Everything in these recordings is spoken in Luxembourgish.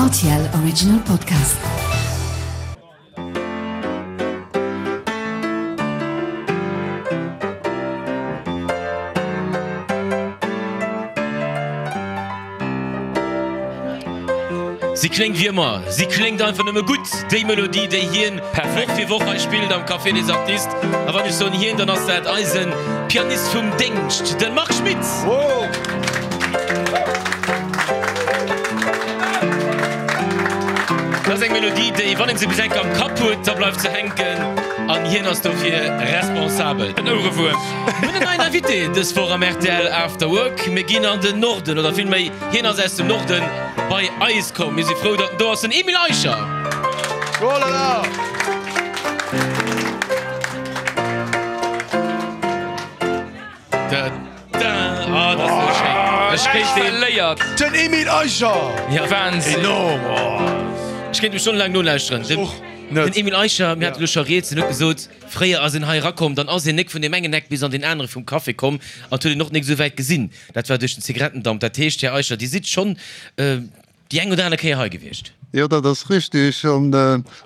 RTL Original Podcast. Si kléngt wéi ëmmer, si kléngt einfach nëmme gutt, déi Melodie, déi hien Woch fir Woch hei spillt am Café des Artistes. A wann ech soen hien, dann ass dat eise Pianist vum Déngscht, de Marc Schmitz. Dat ass eng Melodie, déi, wann een se bis eng Kéier am Kapp huet, da bleift se hänken an hien ass dofir responsabel. En Ouerewuerm. Mir hunn en neien Invité dës Woch am rtl After Work. Mir ginn an den Norden, oder villméi, hien ass aus dem Norden bei eis komm. Mir si frou, datt en do ass, den Emile Eicher. Oh là là! Da, da, oh, dat ass esou schéin. Ech kéint deen. Verléiert. Den Emile Eicher! Ja. Wahnsinn. Enorm! Oh. Ech kéint em stonnelaang nolauschteren. Ech och net. Den Emile Eicher, mir hate lo scho rieds, en huet gesot, fréier ass en hei erakomm, dann ass en nek vun deem engen Eck bis an deen anere vum Café komm an 't huet een och nek esou wäit gesinn. Dat war duerch den Zigarettendamp. Dat heescht, Här Eicher, Dir sidd schonn déi eng oder aner Kéier hei gewiescht. Jo, dat ass richtig. An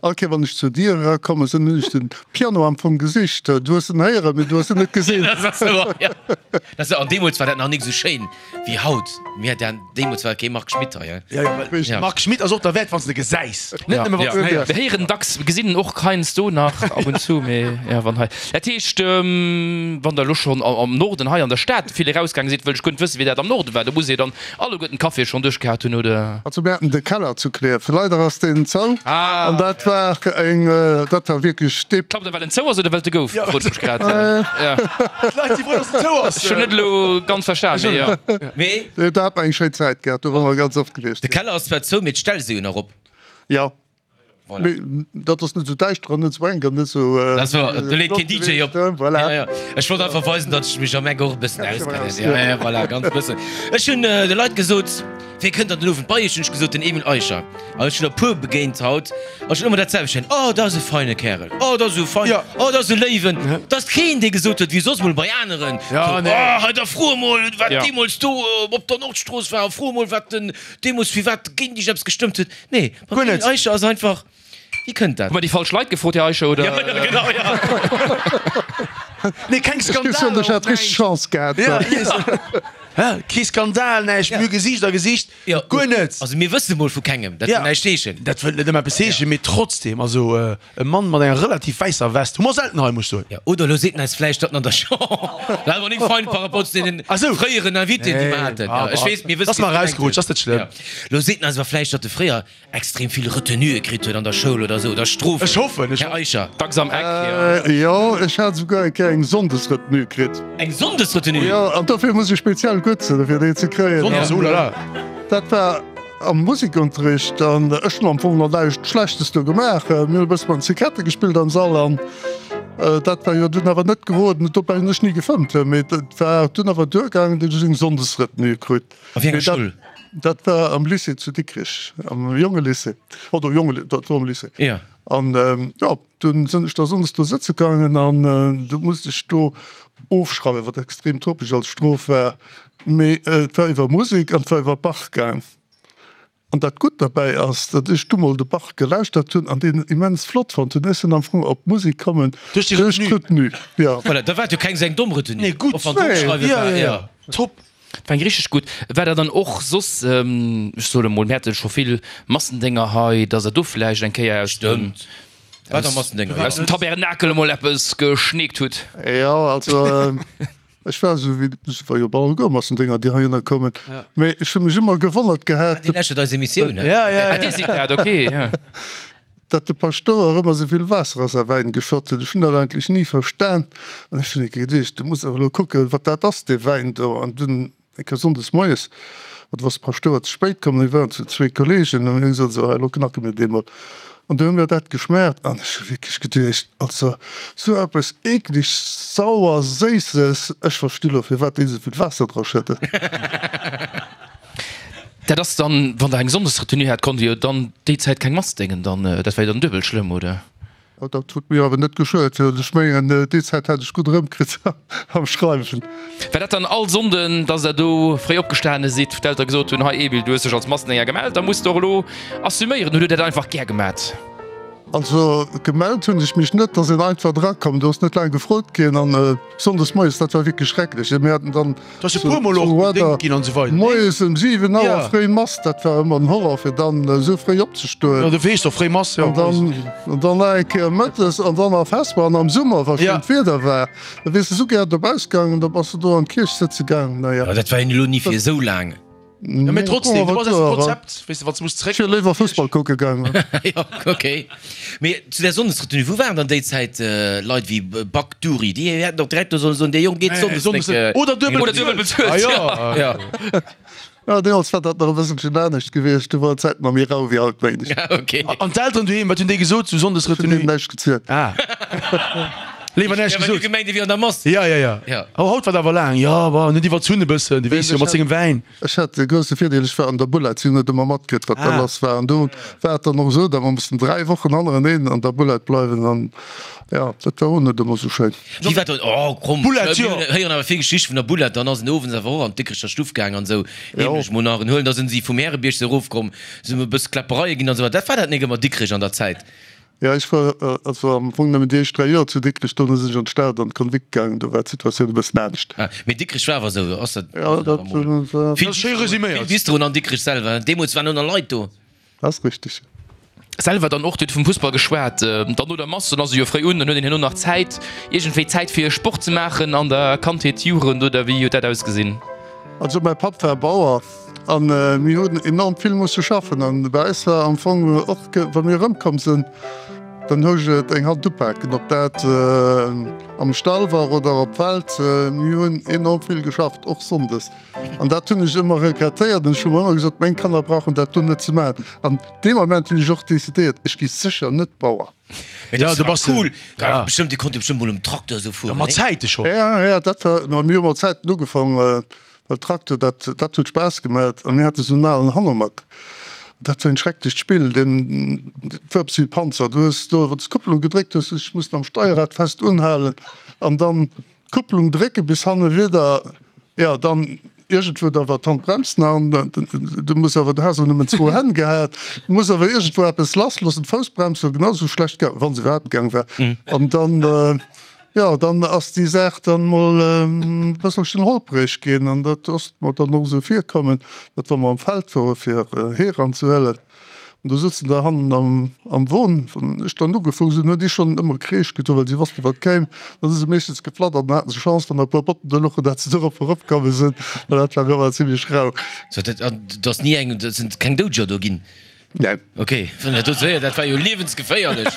all Kéier, wann ech zur Dier erakomme sinn, hunn ech den Piano am Fong gesicht. Du hues en héieren, mee du hues en net gesinn. Dat ass wouer, jo. Dat ass, an deemools war dat nach nik esou schéin wéi haut. Mir hat deemools war kee Marc Schmitt hei, he? Jo, jo, well Marc Schmitt ass och derwäert, wann s de gesäis, net nëmme wann s de en héiers. Mir héieren dacks, mir gesinn en och heiansdo nach ab und zu, mee jo, wann hei. Dat heescht, wann Der elo schonn am Norden hei an der Stad vill erausgaange sidd, wëll ech guer net wëssen, wéi dat am Norde war. Do muss Dir dann alleguerten d'Caféë schonn duerchgehat hunn, oder? Also mir haten de Keller zu Klierf, leider ass deen zou an dat war eng, dat war wierklech dee. Klappt e well en zou ass oder well et e gouf? Frot ech mech grad. D'Leit si frou, datt en zou ass. Ech hunn net elo ganz verstan, mee jo. Mee. Do hat mer eng schéin Zäit gehat, do ware mer ganz oft gewiescht. De Keller ass zwar zou, mee d'Ställ si jo nach op. Jo. Voilà. Mee dat ass net esou däischter an net esou enk an net esou. Dat ass wouer, do leet keen DJ op. Voilà. Ja, ja. Ech wollt einfach weisen, datt ech mech am Eck och e bëssen auskennen. Ja, ja, voilà, ganz bëssen. Ech hunn de Leit gesot, Wie kënnt dann den Owend bei iech? Hunn ech gesot, den Emile Eicher. An ech hunn der puer begéint haut an ech hunn ëmmer dat selwecht héieren, Oh, dat ass e feine Kärel. Oh, dat ass esou fein. Oh, dat ass e Léiwen. Et ass keen, dee gesot huet, wéi soss mol bei aneren, Ja, nee. Oh, hei, da fro emol, wat Ja. deemools do op der Nordstrooss war a fro emol, wat den deemools firwat géint iech eppes gestëmmt huet. Nee, beim Guer Emile net. Eicher ass einfach, wéi kënnt dat? Hu mer déi falsch Leit gefrot, Här Eicher, oder? Ja, ja, genau, ja. Nee, keng Ech géif soen, Skandaler, ech hat och richteg näischt. Chance gehat. Ja, hä? Kee Skandal, näischt. Mir hu Gesiicht a Gesiicht, Ja. guer net. Also mir wësse mol vu kengem, dat Ja. wëll näischt heeschen. Dat wëllt net ëmmer eppes heeschen, mee trotzdem, also e Mann mat enger relativ wäisser West hu mer selten hei, muss ech soen. Ja, oder elo seet en eis vläicht, datt en an der Chamber, dat awer nik fein par rapport zu deenen Ach sou. fréieren Invitéen, déi mer haten. Ah, Ja, ech weess, mir wëssen, Ass mer wéi s du erausgerutscht, ass net schlëmm. Ja. Lo seet en eis awer vläicht, datt e fréier extrem vill Retenuë kritt huet an der Schoul oder sou, oder Strofen. Ech hoffen, ech Här Eicher. Dacks am Eck, jo. Jo, ech hat esouguer eng Kéier eng Sonndesretenue kritt. Eng Sonndesretenue? Jo, an dofir muss ech speziell gutt sinn, fir déi ze kréien. Sonndes, oh la la. Dat war am Musikunterricht an ech hunn am Fong nach näischt Schlechtes do gemaach. Mir hunn e bësse mat den Zigarette gespillt am Sall an dat war jo dunn awer net geroden. Dobäi hunn ech ni gefëmmt, mee dat war dunn awer duergaangen, datt ech eng Sonndesretenue krut. A wéi enger Schoul? Dat war am Lycée zu Dikrech, am Jongelycée, oder Jonge, dat war am Lycée. Ja. An jo, dunn sinn ech da sonndes do sëtze gaangen an du musst ech do ofschreiwen, wat extrem topeg als Strof war. Mee et war iwwer Musek an et war iwwer Bach gaang. An dat Gutt derbäi ass, datt ech du mol de Bach gelauschtert hunn an deen immens flott fonnt hunn. Ech sinn am Fong op d'Musek kommen Duerch déi duerch Retenue. d'Retenue, jo. Voilà, da war et jo keng seng domm Retenue. Nee, gutt. Och wann d'Ofschreiwe Ja, war, ja, ja. ja. Top. War eng richteg gutt. War der dann och soss, ech soe mol, mir hate scho vill Massendénger hei, datt der do vläicht eng Kéier aus dem, Stëmmt. War der Massendénger, jo. aus dem Tabernakel emol eppes geschneekt hutt? Jo, also ech war esou wéi, et war jo bal alleguer Massendénger, déi heihinner koumen, mee ech hu mech ëmmer gewonnert gehat, Dir lauschtert eis Emissioun, he? Ja, ja, Ah, Dir ja. sidd dat, okay, ja. Datt de Paschtouer ëmmer esou vill Waasser a säi Wäin geschott huet, ech hunn dat eigentlech ni verstan. An ech hunn eng Kéier geduecht, du muss awer elo kucken, wat dat ass, dee Wäin do. An dunn eng Kéier sonndes moies, do ass de Paschtouer ze spéit komm, mir waren zu zwee Kolleegen, an mir hunn gesot, esou, hei, elo knacke mir dee mol. An du hu mir dat geschmaacht an ech hu wierklech geduecht, also esou eppes eekleg sauer-séisses, ech versti lo, firwat déi esou vill Waasser dra schëdden. Dat ass dann, wann der eng Sonndesretenue hat, konnt dir jo dann déi Zäit keng Mass déngen dann, dat war jo dann duebel schlëmm, oder? Dat huet mir awer net geschuet. Ech mengen, déi Zäit hat ech gutt erëmkritt am Schreiwen. War dat dann all Sonnden, dass der do fréi opgestane sidd, wou d'Eltere gesot hunn, Hei Emil, du hues dech als Massendénger gemellt, da muss de och elo assuméieren? Oder hutt der dat einfach gär gemat? Also gemellt hunn ech mech net, da sinn einfach drakomm. Do ass net laang gefrot ginn an sonndes moies, dat war wierklech schrecklech. Mir haten dann moies ëm 7 Auer fréi Mass, dat war ëmmer den Horror fir dann esou fréi opzestoen. An dann nach eng Kéier mëttes an dann nach Vesper an am Summer, wa schéint Wieder war, da wiers de esou gär dobauss gaangen, da bass de do an d'Kierch sëtze gaangen. Naja. Dat war jo elo ni fir esou laang. Ja, mee trotzdem, du bass aus dem Konzept, weess de, wann s du muss zréck. Ech wier léiwer Fussball kucke gaangen. Jo, ok. Mee zu där Sonndesretenue, wou waren dann déi Zäit Leit wéi Back, Dury? Déi hätten och direkt do sollen soen, dee Jong geet sonndes net. Oder duebel bezuelt. Ah jo. Ja. Ja, deemools war dat nach e bësselchen anescht gewiescht, do war d'Zäit nach méi rau wéi haut, mengen ech. Ja, ok. An d'Elteren doheem, wat hunn déi gesot zu Ech hunn Sonndesretenue? deenen näischt gezielt. Ah. Léiwer näischt Ja, well du gesot. gemengt, e wier an der Mass. Ja, ja, ja. Ja. Oh, haut war et awer laang. Jo, bon, en huet iwwerzunn e bëssen, du weess jo, mat sengem Wäin. Ech hat de grousse Virdeel, ech war an der Bulette, si hunn net ëmmer matkritt, wat da lass war. An do war et dann och esou, datt mer mussten 3 Wochen hannereneen an der Bulette bleiwen. An jo, dat war och net ëmmer esou schéin. Wéi war dat? Oh, komm, Bulette, jo. Mir héieren awer vill Geschichte vun der Bulette. Dann ass en owends awer och an d'Dikrecher Stuff gaang an esou heemlech mol nach en huelen. Da sinn si vum Härebierg se erofkomm, sinn e bësse Kläppereie ginn an esou. Dat war dat nik ëmmer Dikrech an der Zäit? Jo, ech war also am Fong nëmmen déi éischt 3 Joer zu Dikrech, dono sinn ech an d'Stad an d'Konvikt gaangen, do war d'Situatioun e bëssen anescht. Ah, mee Dikrech war awer esou, ass dat? Jo, dat war. Vill Ass schéi resuméiert. Vill Bistroen an Dikrech selwer, deemools waren och nach Leit do. Dat ass richteg. Selwer dann och, Dir hutt vum Fussball geschwat, dann no der Mass, dann ass e jo fréi un, dann huet een herno nach Zäit, iergendwéi Zäit fir Sport ze maachen an der Kandheet, Jugend oder wéi huet dat ausgesinn? Also mäi Papp war Bauer an mir hunn enorm vill musse schaffen an bei eis war am Fong och, wa mir erëmkomm sinn, dann housch et eng Hand upaken, ob dat am Stall war oder op d'Feld. Mir hunn enorm vill geschafft, och sonndes an dat hunn ech ëmmer regrettéiert an ech hu mer ëmmer gesot, meng Kanner brauchen dat do net ze maachen. An dee Moment hunn ech och decidéiert, ech gi sécher net Bauer. Mee Ja, dat du war bass cool. Ja. Ja. Bestëmmt, Dir konnt jo bestëmmt mol um Trakter esou Ja, fueren, mat nee? Zäite schonn. Ja, ja, dat war, no, mir hu mat Zäiten ugefaang, well Trakter, dat, dat huet Spaass gemat. A mir hate sou en alen Hanomag, dat war en schrecklecht Spill, deen, dat war eppes wéi e Panzer. Du hues do, wann s d'Kupplung gedréckt hues, hues dech mussen am Steierrad fest unhalen an dann d'Kupplung drécke bis hanne wieder, jo, dann iergendwou da war d'Handbrems nach an du muss awer, du has awer nëmmen zwou Hänn gehat, du muss awer iergendwou eppes lassloossen, d'Foussbrems war genau sou schlecht gaang, wa se iwwerhaapt gaang war, an dann, jo, dann ass déi Saach dann mol e bësselchen holpreg ginn an dat ass mer dann och esou virkommen, datt wa mer am Feld wore fir Hee ranzehuelen, An do sëtzen der hannen am, am Won. Wann ech dann ugefuer sinn, hunn déi schonn ëmmer Kreesch gedoen, well si wossten, wat kéim. Da si se meeschtens geflattert an da haten se Chance, wann der e puer Botten do louchen, dat se dorop eropkomme sinn, well dat war ëmmer zimlech rau. So, dat, an do ass ni eng, do sinn keng Doudeger do ginn? Neen. Ok, wann dat do sou héiert, dat war jo liewensgeféierlech.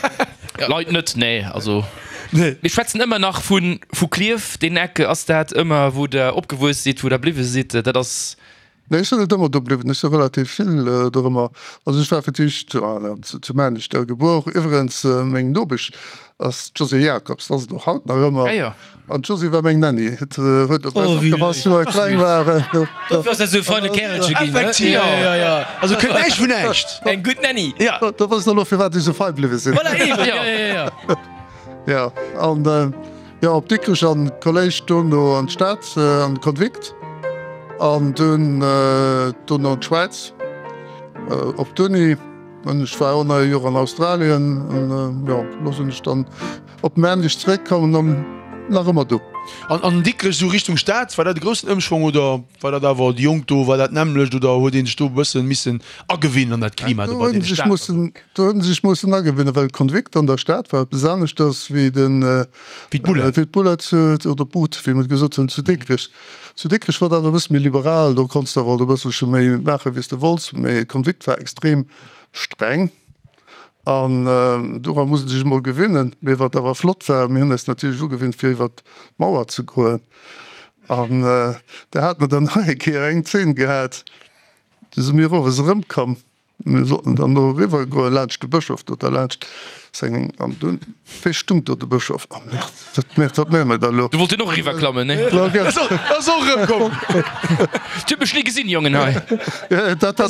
Leit net, nee. Also Nee. mir schwätzen ëmmer nach vu, vu Klierf, deen Eck. Ass dat ëmmer, wou Der opgewuess sidd, wou Der bliwwe sidd? Dat ass. Nee, ech sinn net ëmmer do bliwwen. Ech si relativ vill dorëmmer. Also ech war fir d'éischt zu Maarnech gebuer. Iwwerens meng Nopesch ass d'Josée Jacobs, dat ass et och haut nach ëmmer. An d'Josée war meng Nanny. Et huet op eis opgepasst, wéi mer kleng waren. Dofir ass dat esou e feine Kärelche ginn, he? Effektiv. Jo, jo, jo. Also kënnt näischt vun näischt. Eng gutt Nanny. Ja. Do wësst der elo firwat ech esou fei bliwwe sinn. Voilà, eben. Jo, jo, jo. Jo, an. Jo, op Dikrech an d'Kolléisch, dono an d'Stad an de Konvikt an dunn dono an d'Schwäiz op d'Uni. An ech war och nach e Joer an Australien an jo, elo sinn ech dann op Maarnech zeréckkomm an nach ëmmer do. An an Dikrech esou Richtung Stad, war dat e groussen Ëmschwong oder war dat awer déi Jonk do, war dat d'nämmlecht oder huet ee sech do e bëssen missen agewinnen an dat Klima do Do bei hunn deene sech Stater? mussen Do hunn se sech mussen agewinnen, well Konvikt an der Stad war eppes aneschters wéi den, Wéi d'Bullett. wéi d'Bullett oder d'Bud, wéi mer et gesot hunn, zu Dikrech. Zu Dikrech war dat e bësse méi liberal, do konns de awer alt e bësselche méi maachen, wéi s de wollts, mee Konvikt war extrem streng an dora muss ee sech emol gewinnen. Mee wat awer flott war, mir hunn eis natierlech ugewinnt, fir iwwert d'Mauer ze goen an da hate mer dann nach eng Kéier eng Zeen gehat, du si mir owes erëmkomm. Mir sollten dann do eriwwer goen, laanscht de Bëschof do derlaanscht. Seng, an dunn, wéi stung do de Bëschof? Oh Merde, wat, Merde, wat maache mer da elo? Du wollt jo och eriwwer klammen, nee? Ass och erëmkomm. Dir hutt mech ni gesinn, Jongen, hei. Dat hat,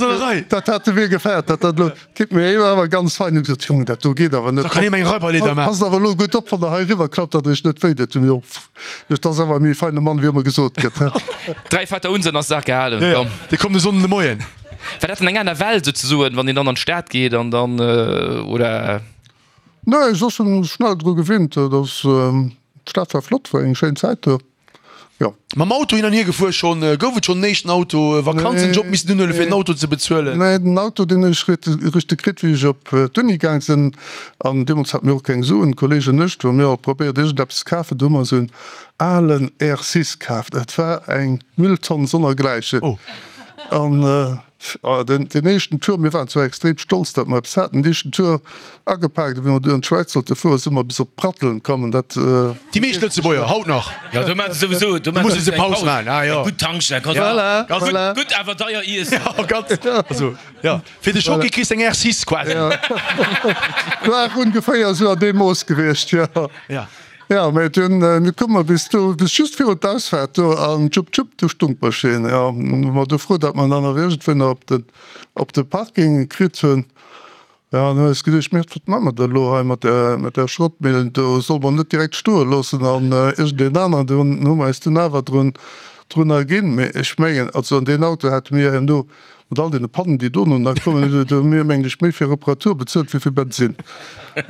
dat hat de mir gefäert, dat dat elo geet mir elo awer ganz fein. Hunn gesot, Jongen, dat do geet awer net. Da kann ee meng Räuberleeder maachen. Passt awer elo gutt op, wann der hei eriwwer klappt, datt der iech net wéi deet. Hunn mir och, dat ass awer e méi feine Mann, wéi ëmmer gesot gëtt, he. Dräi Vater unser an ass d'Saach gehalen, komm. Dee kommt e Sonnden de Moien. War dat dann eng aner Welt souzesoen, wann een dann an d'Stad geet an dann, oder? Nee, ech ass schon schnell dru gewinnt. Dat ass, d'Stad war flott, war eng schéin Zäit do, jo. Mam Auto hin an hier gefuer schon? Gouf et schon den éischten Auto? Vakanzenjob missen unhuelen fir den Auto ze bezuelen? Nee, den Auto deen hunn ech richteg kritt wéi ech op d'Uni gaang sinn. An deemools hate mir och keng Suen, d'Kollegen an ech, do hu mir alt probéiert iergendeppes ze kafen. Do hu mer esou en alen R6 kaaft. Et war eng Mülltonn sonnergläichen. An den éischten Tour, mir waren zwar extrem stolz, datt mer eppes haten, den éischten Tour agepaakt, a wéi mer du an d'Schwäiz sollte fueren, si mer bis op Pratteln komm an dat. Déi meescht Lëtzebuerger, haut nach. Jo, do maache se souwisou, do maache se eng Paus, eng gutt Tankstell, kann Voilà, voilà. Gutt awer deier iessen. Jo, ganz, also, jo, fir de Schocki kriss de eng R6 quasi. War ongeféier esou an deem Mooss gewiescht, jo. Ja. Jo, mä dunn, du koum mer bis do, bis just virun d'Ausfaart do an tschupp tschupp, du stung d'Maschinn. Jo, hu mer du frou, datt mer dann nach iergendwéi nach op den, op de Parking kritt hunn. Jo, an hu eis geduecht, Merde, wat maache mer da elo hei mat där, mat där Schrottmillen do? Solle mer net direkt stoe loossen an iergendeen aneren? Du hu mer eis dunn awer drun, drun erginn. Mä ech mengen, also an deen Auto hate mir herno Mat all deene Pannen, déi dono nach kommen, hu mir, mengen ech, méi fir Reparatur bezuelt wéi fir Bensinn.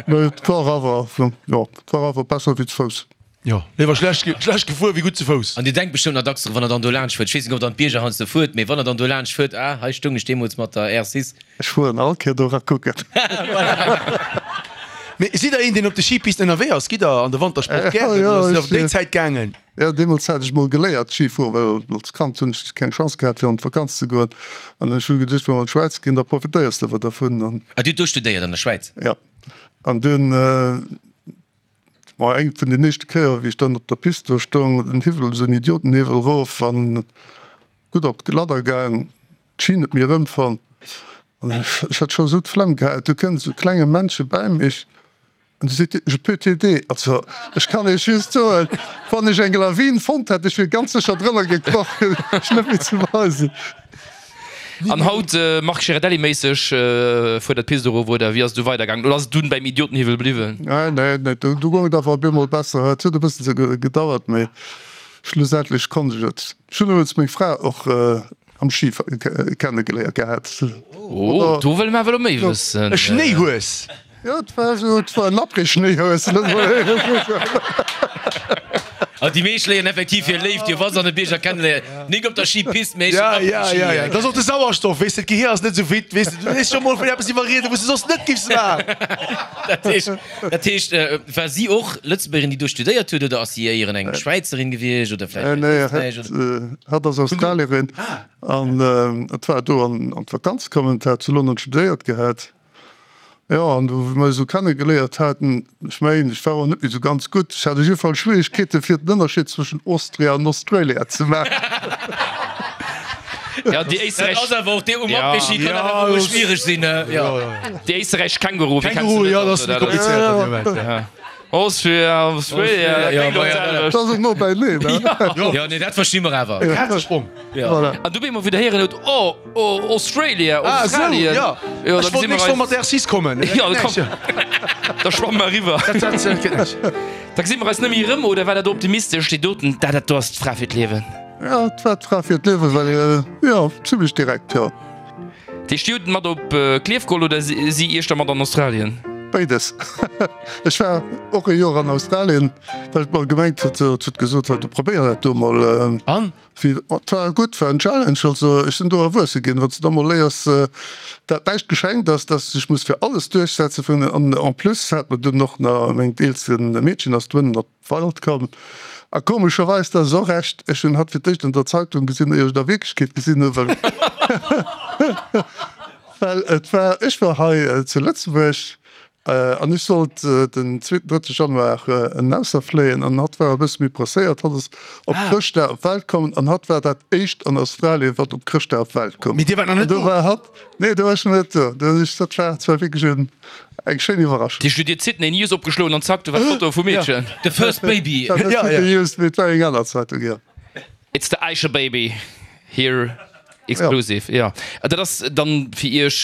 Mä et war awer, jo, et war awer besser wéi ze Fouss. Jo, léiwer schlecht, schlecht gefuer wéi gutt ze Fouss. An Dir denkt bestëmmt nach dacks dru wann Der dann do laanscht fuert, ech weess net, ob Der an d'Bierger heiansdo fuert, mee wann Der dann do laanscht fuert, ah, hei stoung ech deemools mat der R6. Ech fueren all Kéier do era kucken. Mee sidd Der een, deen op de Skipisten ënnerwee ass? Gitt Der an de Wantersport gären oder ass et op déi Zäit gaangen? Jo, deemools hat ech mol geléiert Ski fueren, well als Kand hunn ech keng Chance gehat fir an d'Vakanz ze goen. An ech hu geduecht, wa mer an d'Schwäiz ginn, da profitéiers de awer dervun. An. Ah, Dir hutt do studéiert an der Schwäiz? Jo. An dunn, ma eng vun den éischte Kéier wéi ech dann op der Pist do stoung, den Hiwwel, esou en Idiotenhiwwel erof an gutt op d'Gladder gaang, d'Ski net méi erëmfonnt. An ech hat scho esou d'Flemm gehat, du kënnt esou e klenge Männche bäi mech An du seet dir, Je peux t'aider. Also, ech kann Iech just soen, wann ech eng Lawin fonnt hätt, ech wier ganz sécher drënner gekroch, ech net méi ze weisen. An haut, Marc Girardelli-méisseg, fuer der d'Pist erof, oder wéi ass et du weidergaangen? Oder ass et dunn bäim Idiotenhiwwel bliwwen? Nee, nee, nee, du goung et awer op eemol besser. Et huet e bëssen gedauert, mee schlussendlech konnt ech et. Ech hunn iwwregens meng Fra och Am Ski kennegeléiert gehat. Oh, do wëlle mer awer elo méi wëssen. E Schnéihues! Jo, et war esou, et war en Après-Schnéihues. An déi meescht léieren effektiv hir Léift jo, wa se an de Bierger kenneléieren, nik op der Skipist, mee Ja, ja, ja, ja, dat ass och de Sauerstoff, weess de, d'Gehier ass net esou fit, weess de, du léiss scho mol vun eppes iwwerrieden, wou s de soss net giffs maachen. Dat heescht, dat heescht, war si och Lëtzebuergerin, déi do studéiert huet, oder ass si éieren eng Schwäizerin gewiescht oder vläicht Nee, Éisträich oder? Hatt ass Australierin an et war do an d'Vakanz komm an hat zu London studéiert gehat. Jo, an du wéi mer eis esou kennegeléiert haten, ech mengen, ech war och net méi esou ganz gutt, ech hat op jidde Fall Schwierigkeete fir den Ënnerscheed zwëschen Austria an Australia ze maachen. Ja, déi Dat ass awer och dee um Après-Ski kann dat awer mol schwiereg sinn, jo. Déi éisterräichesch Känguru, wéi kenns Känguru, du jo, net? dat ass méi komplizéiert an deem Moment, ja. Austria, Australia, dat kléngt och d'selwecht. Dat ass och no beineen, ne? Jo, nee, dat versti mer awer. E Kazesprong. Voilà. An du wéi mer wieder héieren huet, oh, oh, Australia, Ah, esou, Australien. jo. Jo, Ech da wollt gesi mer nächst Woch eis. mat der R6 kommen. Jo, komm, da schwamme mer eriwwer. Dat, dat, dat geet net. Da gesi mer eis net méi erëm, oder war dat optimistesch, déi doten, dat, dat do ass d'Fra fir d'Liewen? Jo, et war d'Fra fir d'Liewen, well, jo, zimlech direkt, jo. Déi Stied mat op Klierf geholl oder si iech da mat an Australien? Béides. Ech war och e Joer an Australien, well et mer gemengt huet, et huet gesot, hei du probéier dat do mol. An? Wéi, et war gutt, war en Challenge. Also ech sinn do erwuesse ginn, wann s de da mol léiers, dat näischt geschenkt ass, dass s de dech muss fir alles duerchsetze vun. An en plus hat mer dunn och nach, mengt eelste Meedchen ass dunn op Wald komm. A komescherweis, dat ass och echt, ech hunn hatt fir d'éischt an der Zeitung gesinn, éier ech et a Wierklechkeet gesinn hunn, well well et war, ech war hei zu Lëtzebuerg. An ech sollt den zweeten, drëtte Januar erausserfléien an hatt war e bësse méi presséiert. Hatt ass op Chrëschtdag op d'Welt komm an hatt war dat éischt an Australien, wat op Chrëschtdag op d'Welt koum. Mee Dir waart nach net do? An do war hatt, nee, do war ech nach net do. Do hunn ech, dat war zwar wierklech en, eng schéin Iwwerraschung. Dir hutt Dir d'Sydney News opgeschloen an zack, do war d'Foto vum Meedchen. The first baby. Dat war net d'Sydney News, mee et war eng aner Zeitung, jo. It's the Eicher baby here. Exclusive, jo. Dat ass dann fir Iech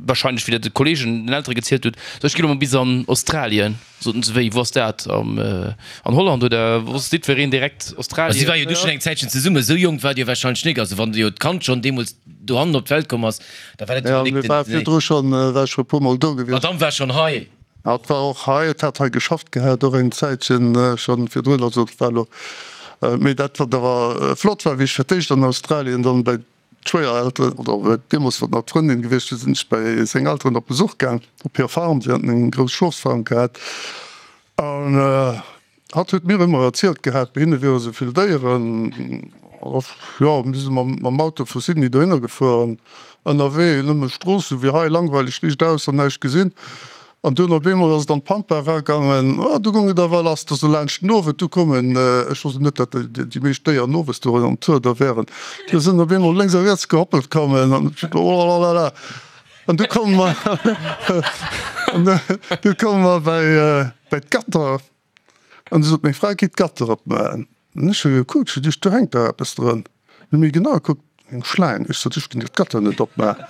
wahrscheinlech, wéi Der de Kollegen, den Eltere gezielt hutt, so ech gi lo mol bis an Australien, soten se, wéi, wou ass dat, am, an Holland oder wosst jiddwereen direkt Australien? Si war jo du schonn eng Zäitchen zesummen, esou jonk waart Dir wahrscheinlech nik, also wann jo d'Kand schonn deemools dohannen op d'Welt komm ass, da war dat jo nik den. Jo, mir war virdru schonn, war ech scho e puermol do gewiescht. D'Madame war schonn hei. Hatt war och hei, et hat hei geschafft gehat, och eng Zäitchen schonn virdrun, also et war elo, mee dat wat awer flott war, wéi ech fir d'éischt an Australien dann bei d'Schwéierelteren, oder deemools war et nach d'Frëndin gewiescht, du sinn ech bei seng Elteren op Besuch gaang, op hir Farm, si haten eng grouss Schofsfarm gehat an Hatt huet mir ëmmer erzielt gehat, bei hinne wiere sou vill Déieren. Jo, mir si mam Auto vu Sydney dohinner gefuer an ënnerwee nëmme Stroossen, wéi hei, langweileg, riicht aus an näischt gesinn. An dunn op eemol ass et an d'Pampa eragaangen. Oh, du goung et awer lass, da sou laanscht den Owend. Du koumen, ech wosst net, datt déi meescht Déieren owes do an Tour da wären, du sinn op eemol lénks a riets gehoppelt kommen an oh-la-la-la. An du komme mer, du komme mer bei, bei d'Gatter. An du sot meng Fra, Gi d'Gatter opmaachen. An ech hu gekuckt, ech hu geduecht, do hänkt dach eppes drun. Hu méi genau gekuckt, eng Schlaang. Ech sot, ech ginn dir d'Gatter net opmaachen.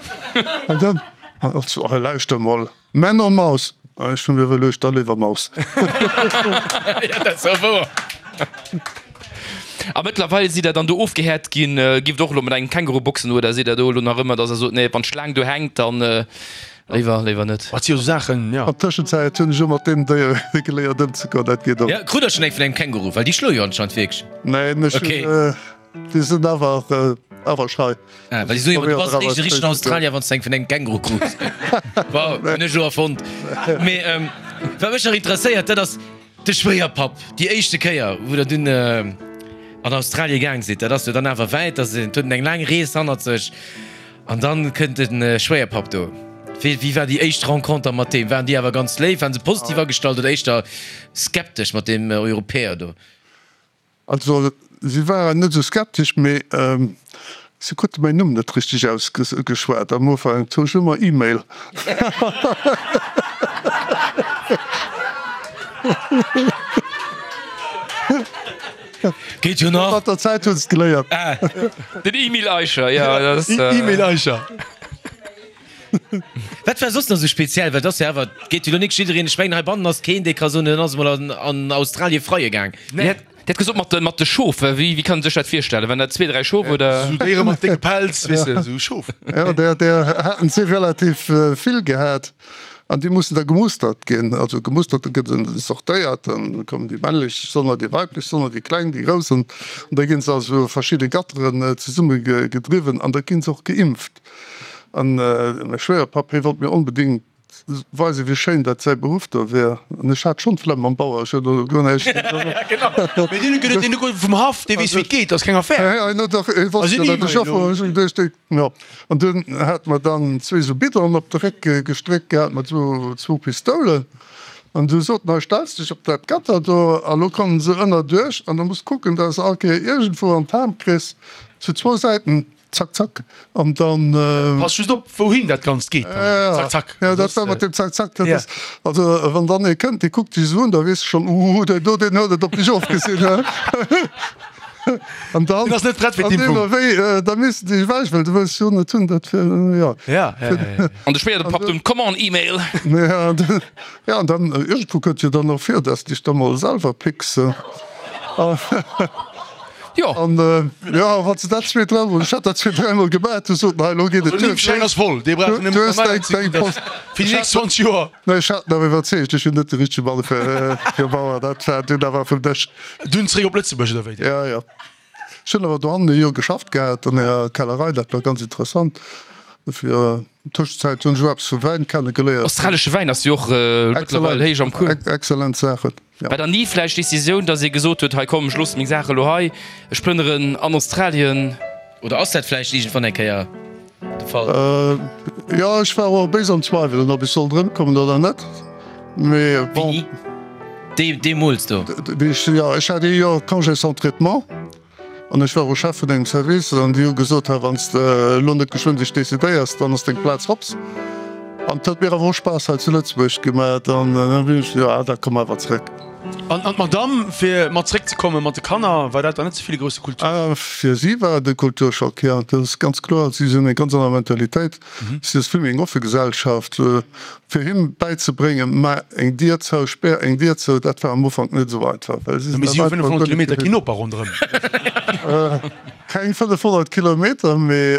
An dann, an hatt sot, Oh, lauschter mol, Männer Maus. An ech hu mir iwwerluecht, da léiwer Maus. Jo, dat ass och wouer. A mëttlerweil sidd der dann do ofgehäert ginn. Giff der och elo mat engem Känguru boxen oder sidd der do elo nach ëmmer, dass der sot, nee, wann d'Schlaang do hänkt, dann léiwer, léiwer net? Wat si jo sou Saachen, jo. An Tëschenzäit hunn ech och mat deem Déier geléiert ëmzegoen, dat geet och. Jo, krut der schonn eng vun engem Känguru? Well déi schloe jo anscheinend wierklech. Neen, ech hunn, déi sinn awer, awer schei. Ah, well déi soe jo ëmmer, du bass eréischt e richtegen Australier, wann s de eng vun engem Känguru krus. Wow, hunn ech elo erfonnt. Mee wat mech nach interesséiert, dat ass, De Schwéierpapp, déi éischte Kéier wou der dunn an Australie gaang sidd, dat ass jo dann awer wäit, dat huet eng laang Rees hannert sech an dann kënnt de Schwéierpapp do. Wéi wéi war déi éischt Renconter mat deem? Waren déi awer ganz léif, waren se positiv agestallt oder éischter skeptesch mat deem Europäer do? Also si waren net esou skeptesch, mee si krute mäin Numm net richteg ausgeschwat am Ufank. Hu ech ëmmer E-Mail. Geet jo nach. Mat der Zäit hu se et geléiert. Den E-Mail Eicher, jo, dat ass. E-Mail Eicher. Wat war soss nach esou speziell? Well et ass jo awer, et geet jo elo nik jiddereen, ech mengen heibannen ass keen, dee ka soen, en ass emol an an Australie freie gaang. Dir hat gesot mat de mat de Schof, wéi wéi kann een sech dat virstellen? Waren dat zwee, dräi Schof oder? Esou Déiere mat décke Pelz, weess de, esou Schof. Jo, där där haten si relativ vill gehat an déi mussen da gemustert ginn. Also gemustert, da gëtt se sortéiert, dann kommen déi männlech Sonner, déi weiblech Sonner, déi kleng, déi grouss an da ginn se a sou verschidde Gatteren zesumme gedriwwen an da ginn se och geimpft. An mäi Schwéierpapp, hie wollt mir onbedéngt weisen, wéi schéin dat säi Beruff do wier. An ech hat schonn d'Flemm mam Bauer, ech hunn do guer näischt. Mee deen huet deen huet vum Haff, dee weess wéi et geet, dat ass keng Affär. Hien huet dach, hie wosst jo, datt ech Joffer war. Ech hunn geduecht, dee, jo. An dunn hate mer dann zwee sou Biddonen op de Réck gestréckt gehat mat sou zwou Pistoulen. An du sot en, hei stells dech op dat Gatter do a lo kommen se ënnerduerch an da muss kucken, datt se all Kéier iergendwou an d'Ham kriss, zu zwou Säiten. Zack, zack, an dann. Pass just op, wouhin dat Ganzt geet dann. Zack, zack. Ja, dat war mat deem Zack, zack. Dat ass, also wann dann ee kënnt, dee kuckt dech esou un, da weess de schonn, Uuh, deen do, deen huet et op dech ofgesinn, he. An dann. Deen ass net prett fir d'Impfung. An deemno wéi, da misst de dech ewech, well du wëlls jo net hunn, dat fir, jo. Ja, ja, ja. An de Schwéierpapp dunn, Come on, E-Mail! Ja, ja, an dann, iergendwou kënnt jo dann och vir, dass de dech da mol selwer picks. Jo. An jo, wann se dat zwee, dräimol, ech hat dat zwee, dräimol gemaach, du soten, hei, elo geet et duer. Den Impfschäin ass voll, dee brauch en Du hues däin, däin Post. Fir déi nächst 20 Joer. Nee, ech hat en awer iwwerzeegt, ech hunn net de richtege Mann fir, fir Bauer, dat war dunn awer vum Dësch. Dunn zeréck op Lëtzebuerg, oder wéi? Jo, jo. Ech hunn awer dohannen e Joer geschafft gehat an enger Kellerei, dat war ganz interessant. Dofir, Tëschenzäit hunn ech och eppes vu Wäin kenne geléiert. Australesche Wäin ass jo och mëttlerweil héich am Cours. Exzellent Saachen. War dann ni vläicht d'Decisioun, datt ee gesot huet, hei komm, ech loosse meng Saache lo hei, ech plënneren an Australien? Oder ass dat vläicht iergendwann eng Kéier. De Fall? Jo, ech war och béis am Zweiwelen, ob ech sollt erëmkommen oder net. Mee bon. Wéini? Dee, deemools do? Wéi ech, jo, ech hat ee Joer Congé sans traitement an ech war och Chef vun engem Service an déi hu gesot, Hei, wann s de elo net geschwënn dech decidéiers, dann ass deng Plaz hops. An et huet mir awer och Spaass hei zu Lëtzebuerg gemat an da hunn ech, jo, da komm awer zrëck. An d'Madame, fir mat zréckzekommen, mat de Kanner, war dat dann net ze vill e grousse Kulturschock? Fir si war et e Kulturschock, jo, dat ass ganz kloer. Si hunn eng ganz aner Mentalitéit, si ass vill méi eng offe Gesellschaft. Fir him bäizebréngen, mä eng Dier zou, spär eng Dier zou, dat war am Ufank net esou einfach, well si sinn Mee si hu 500 Kilometer keen Noper ronderëm. Keng 500 Kilometer, mee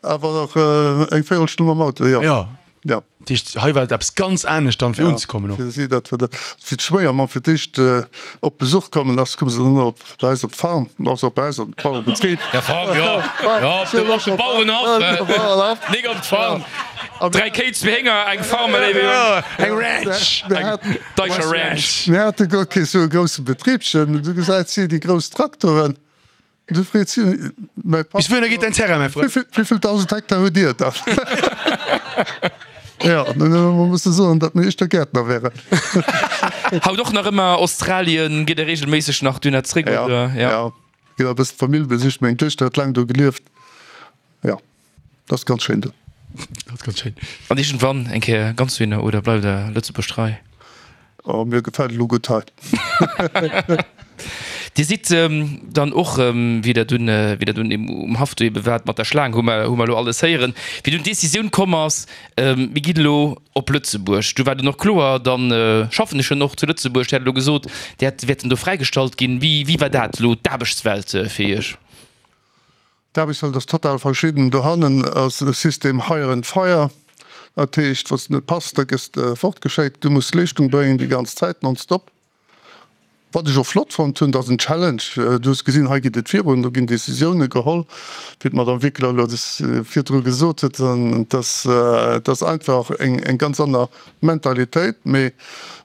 Awer och eng Véierelstonn mam Auto, jo. Jo. Jo. Dat heescht, hei war et eppes ganz anescht dann, fir unzekommen och. Fir si, dat war dat. Fir d'Schwéiermamm fir d'éischt op Besuch kommen ass, koum se dann op bei eis op d'Farm, also op bei eis op de Bauerebetrib. Ja, Farm, jo. Jo, op de, op de Bauerenhaff, nik op d'Farm. Dräi Kéi, zwee Hénger, eng Farm, mä léiwe Jong. Eng Ranch. Eng Deischer Ranch. Mir hate guer kee sou e grousse Betribchen. Du gesäit si déi grouss Traktoren. Du freet si, mäi Papp. Bis wouhinner geet däin Terrain, mäi Frënd? Wéivill 1.000 Hektar hutt Dir dann? Jo, dann hu mer musse soen, datt mir éischter Gäertner wären. Haut och nach ëmmer Australien? Gitt Der reegelméisseg nach dunner zréck, oder? Jo, jo, ginn e bëssen d'Famill besicht. Meng Duechter huet laang do gelieft. Jo. Dat ass ganz schéin do. Dat ass ganz schéin. An iergendwann eng Kéier ganz dohinner oder bleift der Lëtzebuerg trei? Oh, mir gefält elo gutt hei. Dir sidd dann och, wéi der dunn, wéi der dunn um Haff do ebe waart mat der Schlaang, hu mer, hu mer elo alles héieren, wéi dunn d'Decisioun komm ass, mir ginn elo op Lëtzebuerg, du war dunn och kloer, dann schaffen ech schon och zu Lëtzebuerg. Dir hat elo gesot, Dir hätt wäerten do fräigestallt ginn. Wéi, wéi war dat elo, d'Aarbechtswelt fir Iech? D'Aarbechtswelt ass total verschidden. Dohannen ass e System hire and fire, dat heescht, wann s de net pass, da gëss de fortgeschéckt. Du muss Leeschtung bréngen déi ganz Zäit, nonstop. Wat ech och flott fonnt hunn, dat ass en Challenge. Du hues gesinn, hei geet et virun, do ginn Decisioune geholl, wéi d'Madame Wickler elo virdru gesot huet. An et ass einfach eng ganz aner Mentalitéit, mee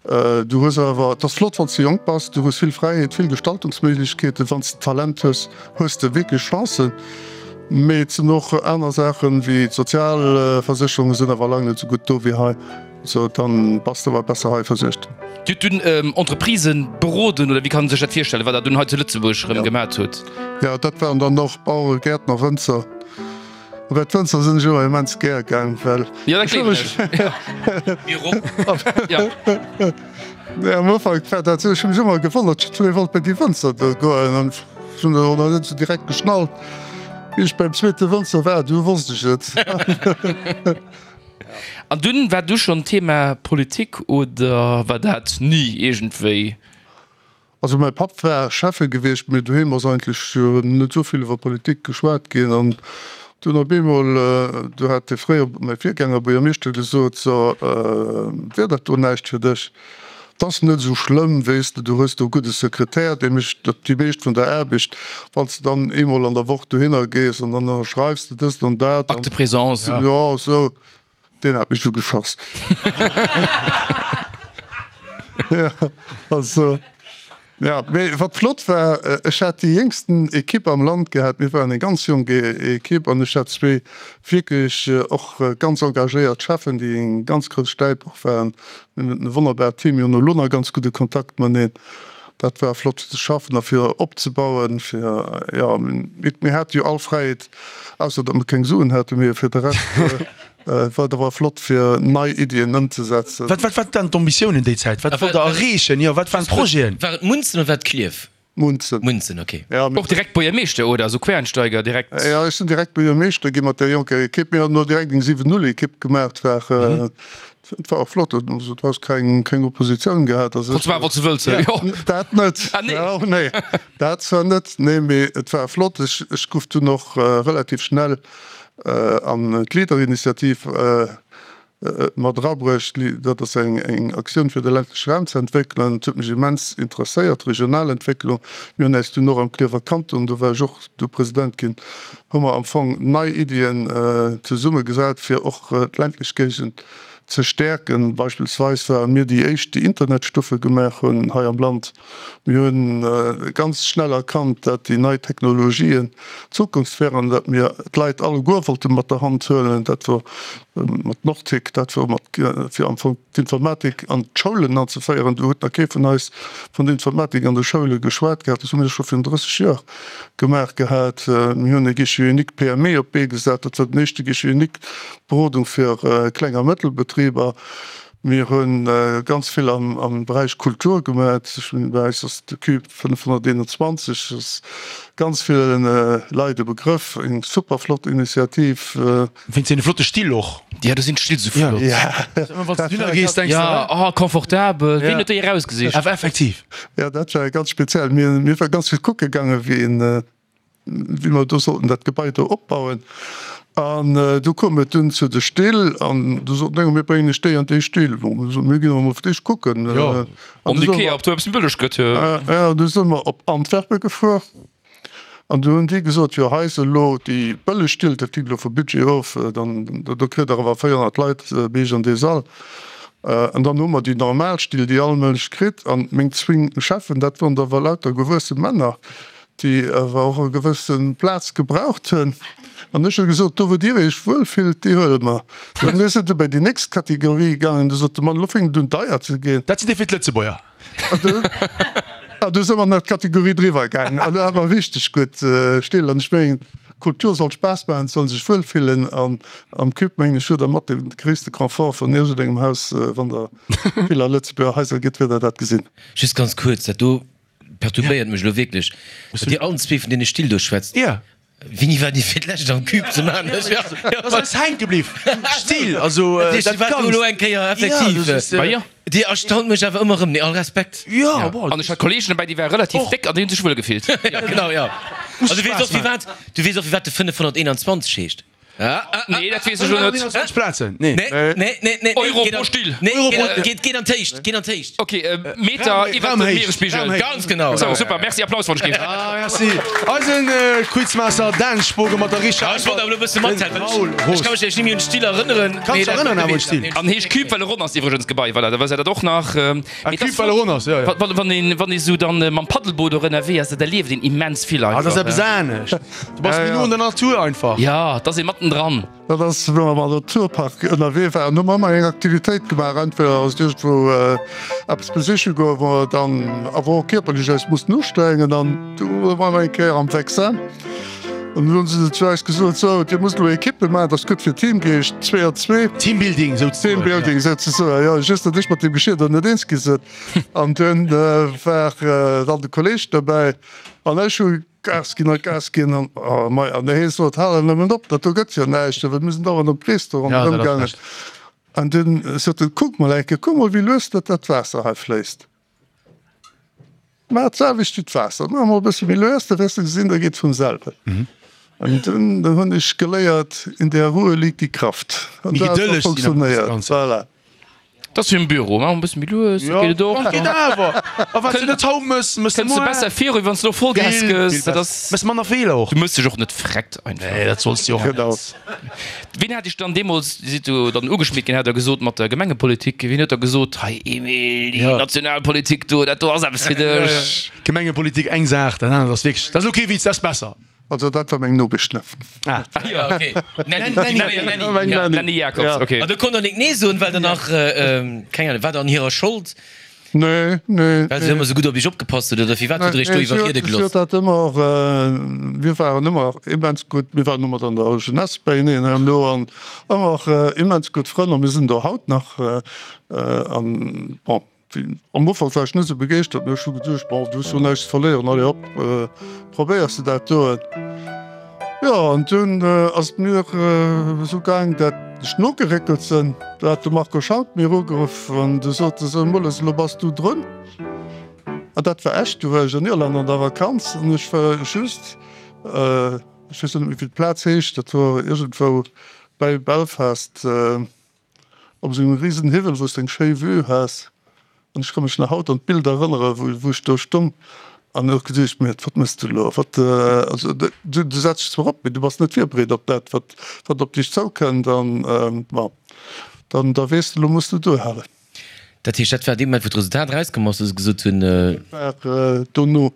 du hues awer, et ass flott wann s de jonk bass, du hues vill Fräiheet, vill Gestaltungsméiglechkeeten, wann s de Talent hues, hues de wierklech Chancen. Mee et sinn och aner Saachen, wéi d'Sozialversécherunge sinn awer laang net esou gutt do wéi hei, sou dann bass de awer besser hei versuergt. Dir hutt dunn Entreprisen beroden, oder wéi kann een sech dat virstellen, wat der dunn hei zu Lëtzebuerg erëm gemat hutt? Jo, dat waren dann och Baueren, Gäertner, Wënzer. Bei d'Fënster sinn ech ëmmer immens gär gaang, well Jo, dat gleewen ech. Jo. Nee, am Ufank war dat esou, ech hu mech ëmmer gewonnert, jiddweree wollt bei déi Fënster do goen an ech hunn dat och nach net esou direkt geschnallt. Wéi ech beim zweete Wënzer war, du wosst ech et. An dunn, war du schonn Thema Politik oder war dat ni iergendwéi? Also mäi Papp war Schäffe gewiescht, mee doheem ass eigentlech net esou vill iwwer Politik geschwat ginn. An dunn op eemol, du hat dee fréier, mäi Virgänger, Buergermeeschter gesot, So, wier dat do näischt fir dech? 't ass net esou schlëmm, weess de, du hues do e gudde Sekretär, dee mécht déi meescht vun der Aarbecht. Wann s de dann eemol an der Woch dohinner gees an dann ënnerschreifs de dëst an dat. Acte de présence. Jo, esou. Deen hat mech ugeschoss. Ja, also, ja, mee wat flott war, ech hat déi jéngsten Ekipp am Land gehat. Mir waren eng ganz jonk Ekipp an ech hat zwee wierklech och ganz engagéiert Cheffen, déi eng ganz grouss Stäip och waren. Mir hunn e wonnerbart Team, mir hunn elo nach ganz gudde Kontakt mateneen. Dat war flott fir ze schaffen a fir opzebauen, fir, jo, mir hate jo all Fräiheet, ausser datt mer keng Suen haten, mee fir de Rescht war et awer flott fir nei Iddien ëmzesetzen. Wat wat waren d'Ambitiounen déi Zäit? Wat wollt Der erreechen? Jo, wat waren d'Projeten? War et Munzen oder war et Klierf? Munzen. Munzen, ok. Ja, Och direkt Buergermeeschter oder esou Quereinsteiger direkt? Jo, ech sinn direkt Buergermeeschter gi mat där jonker Ekipp. Mir hunn och direkt eng 7, 0 Ekipp gemaach. Et war Et war och flott, also du has keng keng Oppositioun gehat. Also Konns maachen, wat s du wëlls, jo. Dat net. Ah nee. Jo, nee, dat zwar net, nee, mee et war flott. Ech ech gouf dunn och relativ schnell an d'Leader-Initiativ mat erabruecht. Dat ass eng eng Aktioun fir de ländleche Raum ze entwéckelen. Et huet mech immens interesséiert, d'Regionalentwécklung. Mir hunn äis dunn och am Klierfer Kanton, do war ech och du President ginn, hu mer am Fong nei Iddien zesummegesat, fir och d'ländlech Géigend. ze stäerken. Beispillsweis ware mir déi éischt, déi Internetstuffe gemaach hunn hei am Land. Mir hu ganz schnell erkannt, dat déi nei Technologien d'Zukunft wären, dat mir d'Leit alleguer wollte mat der Hand huelen. Dat wor mat Nortic, dat wor mat fir am Fong d'Informatik an d'Schoulen anzeféieren. Do huet nach kee vun eis vun der Informatik an de Schoule geschwat gehat. Dat hu mir scho virun 30 Joer gemaach gehat. Mir hunn e Guichet unique PME op d'Bee gesat. Dat war den éischte Guichet unique Berodung fir Kleng a Mëttelbetriber. Mir hu ganz vill am Beräich Kultur gemaach. Ech mengen, bei eis ass de Cube 521 ass ganz ville Leit e Begrëff. Eng super flott Initiativ. Wéinst deene flotte Still och. Ja, do sinn d'Still sou flott. Ëmmer wann s du dunner gees, denks de, Ja, oh, confortabel. Wien huet déi erausgesicht? Awer effektiv. Ja, dat war ganz speziell. Mir, mir war ganz vill kucke gaange wéi een, wéi mer do sollten dat Gebai do opbauen. An du koum et dunn zu de Still an du sot eng, mir bréngen iech déi an déi Still. Bon, mir soten, mir ginn awer mol fir d'éischt kucken. Jo, An Om du soe Ikea, mer, ob do eppes méi bëlleg gëtt. ja, du si mer op Antwerpen gefuer. An du hunn déi gesot, jo hei se elo déi bëlleg Still, dat hänkt elo vum Budget of, dann do kritt Der awer 400 Leit bei Iech an dee Sall. An dann hu mer déi normal Still, déi all Mënsch kritt. An meng zwéin Cheffen, dat woren da awer lauter gewuesse Männer, déi awer och e gewësse Plaz gebraucht hunn. An ech hu gesot, do wou Dir Iech wuel fillt, déi huele mer. An mir sinn du bei déi nächst Kategorie gaangen, du sot de Mann, elo fänkt et un deier ze ginn. Dat sinn déi fir d'Lëtzebuerger. An du si mer nach d'Kategorie driwwer gaangen. An do hat mer richteg gutt Still. An ech mengen, Kultur soll Spaass maachen, et soll ee sech wuel fillen. An am Cube, mengen ech, hutt Der mat de gréisste Confort vun iergendengem Haus, wann Der vill a Lëtzebuerger Haiser gitt, wäert Der dat gesinn. Just ganz kuerz, dat do perturbéiert mech elo wierklech, datt Dir allen zwee vun deene Still do schwätzt. Wéini war Dir fir d'lescht am Cube zu Maarnech? Dat ass eis hänke bliww. Stil, also dat Ganzt. Elo eng Kéier effektiv. Dir erstaunt mech awer ëmmer erëm. Nee, all Respekt. Jo, bon. An ech hat Kolleegen dobäi, déi ware relativ déck an déi hunn sech wuel gefillt. Ja, genau, jo. An du weess och firwat, du weess och firwat de 521 heescht. Nee, dat weess ech elo net. 21 Plazen, nee. Nee, nee, nee, nee. Euro pro Still. Nee, geet, geet an d'Héicht, geet an d'Héicht. Ok, Meter iwwert dem Mieresspigel. Ganz genau. Sou, super, merci, Applaus wann ech géif. Ah, merci. Eisen Quizmaster Dan Spogen mat der richteger Äntwert. Ech wollt awer elo e bësse mathelfen. Ech ka mech nämlech net méi un d'Still erënneren. Kanns dech erënneren awer un d'Still? An heescht Cube well e ronn ass iwwregens d'Gebai, voilà, da wësst der dat och nach. Ah, Cube well e ronn ass, jo, jo. Wann een, wann ee sou dann mam Paddelboot och ënnerwee ass, dat erlieft een immens vill Ah, dat ass einfach. eppes anescht. Du bass méi no un der Natur einfach. Jo, et ass ee mattendran. Dat ass, wou mer am Naturpark ënnerwee waren, hu mer ëmmer eng Aktivitéit gemaach. Entweder ass et iergendwou eppes besiche goen, wou mer dann awer och kierperlech eis mussten ustrengen. An du ware mer eng Kéier am Vexin an du hunn se zu eis gesot, Sou, dir musst elo Ekippe maachen, dat ass gutt fir Teamgeescht, zwee an zwee. Teambuilding souzesoen. Teambuilding souzesoen, jo. Just, datt ech mat deem Geschier do net eens gi sinn. An dunn war dann de Kolleeg dobäi an ech hu Gas ginn a Gas ginn an oh mei, an hee sot, hal nëmmen op, dat do gëtt jo näischt, well mir sinn dauernd am Krees do ronderëm gaangen. An dunn sot en, kuck mol eng Kéier, kuck mol wéi lues dat dat Waasser hei fléisst. Maach d'selwecht wéi d'Waasser, maach mol e bësse méi lues, da wäers de gesinn, da geet vum selwen. An dunn hunn ech geléiert, in der Ruhe liegt die Kraft. An dat huet funktionéiert, voilà. Dat ass wéi am Büro, maach e bësse méi lues, da geet et och. Geet awer. A wat s du net haut mëss, mëss de Kënns de muer. besser viru, wéi wann s de elo Vollgas Vill, gëss. vill Dat besser. ass. Mëss manner Feeler och. Du mëss dech och net vreckt einfach. Nee, dat solls de och net. Genau. Wien hat iech dann deemools, Dir sidd jo dann ugeschmiert ginn, hat der gesot, mat der Gemengepolitik, wien huet da gesot, hei Emil, déi Ja. Nationalpolitik do, dat do ass eppes fir dech? Gemengepolitik eng Saach, dat anert ass wierklech, dat ass elo kee Witz, dat ass besser. Also dat war meng Nopesch, ne? Ah. Ja, okay. Nanny, Nanny, Nanny, ja. Nanny Jacobs, Ja. okay. An do konnt der nik nee soen, well der nach, keng Ahnung, war der an hirer Schold? Nee, nee. Well se ëmmer sou gutt op iech opgepasst huet, oder firwat hutt der iech do iwwerriede Si gelooss? huet dat ëmmer, mir waren ëmmer immens gutt, mir waren ëmmer an der Jeunesse beieneen herno an ëmmer immens gutt Frënn a mir sinn et och haut nach. An bon, Am Ufank war ech net esou begeeschtert, mee ech hu geduecht, bon, du hues jo näischt ze verléieren, allez hop, probéiers de dat do. Jo, an dunn ass et mir esou gaang, dat ech nogeréckelt sinn. Du hat de Marco Schank mir ugeruff an du sot e sou, Mulles, elo bass du drun. An dat war echt, du war ech an Irland an der Vakanz an ech war just, ech weess net méi wéi d'Plaz heescht, dat wor iergendwou bäi Belfast, Op esou engem riesen Hiwwel, wou s de eng schéi Vue has. An ech ka mech nach haut an d'Bild erënnere wou ech do stung an hu geduecht, Mee wat mëss de elo? Wat, also du du setz dech zwar op, mee du bass net virbereet op dat, wat wat op dech zoukënnt. An bon, Dann da weess de, elo muss de duerhalen. Dat heescht, dat war dee Moment, wou d'Resultat erauskomm ass, wou se gesot hunn. Dat war dono,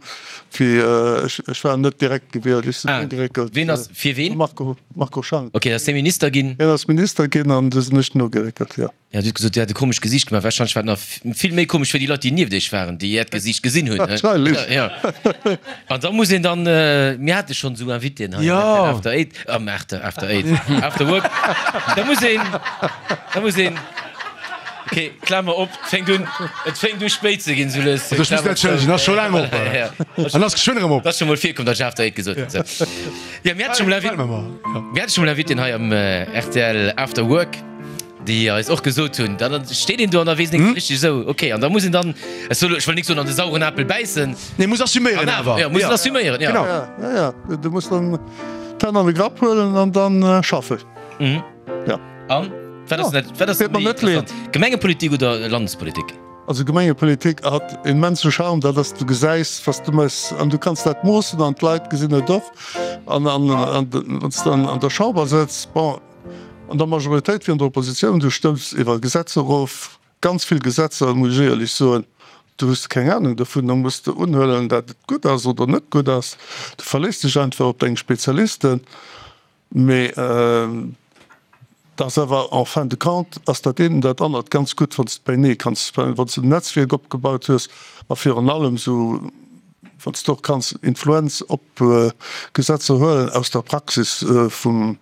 wéi ech, ech war net direkt gewielt, ech sinn nogeréckelt. Ween ass, fir ween? Marco, Marco Schank. Ok, dat ass dee Minister ginn. Hien ass Minister ginn an du sinn ech nogeréckelt, jo. Jo, Dir hutt gesot, Dir hat e komescht Gesiicht gemaach. Warscheinlech war et nach vill méi komesch fir déi Leit, déi nieft Iech waren, déi Äert Gesiicht gesinn hunn. Warscheinlech. Jo. An da muss een dann, mir hate schonn esou Invitéen hei am After Eight, am After, After Eight, After Work, da muss een, da muss een, ok, Klamer op, et fänkt un, et fänkt u spéit ze ginn, sou lues. Also ech muss net entschëllegen, ass scho laang op. An ass geschwënn erëm op. Et ass scho mol virkomm, datt ech After Eight gesot hunn. Sou. Jo, mir hate scho mol Invi, mir hate scho mol Invitéen hei am rtl After Work. Déi eis och gesot hunn, dann steet een do an da weess een net richteg esou, ok, an da muss een dann, ech soll, ech wëll nik soen an de sauren Apel bäissen. Nee, muss assuméieren awer. Jo, muss en assuméieren, jo. Genau. Ja, ja, du muss dann d'Hänn an de Grapp huelen an dann schaffen. Ja. An wat ass dat, wat ass méi interessant, Gemengepolitik oder Landespolitik? Also Gemengepolitik hat immense Charme, dat ass, du gesäis, was du méchs an du kanns dat moossen an d'Leit gesinn et och. An wann s de dann an der Chamber sëtz, bon, An der Majoritéit wéi an der Oppositioun, du stëmms iwwer Gesetzer erof, ganz vill Gesetzer, muss ech éierlech soen, do hues de keng Anung dovun, da muss de unhuelen, dat et gutt ass oder net gutt ass. Du verléiss dech einfach op deng Spezialisten. Mee et ass awer en fin de compte ass dat eent an dat anert ganz gutt, wann s de beinee kanns, wann s de en Netzwierk opgebaut hues a virun allem esou, Wann s de och kanns Influenz op Gesetzer huelen aus der Praxis vun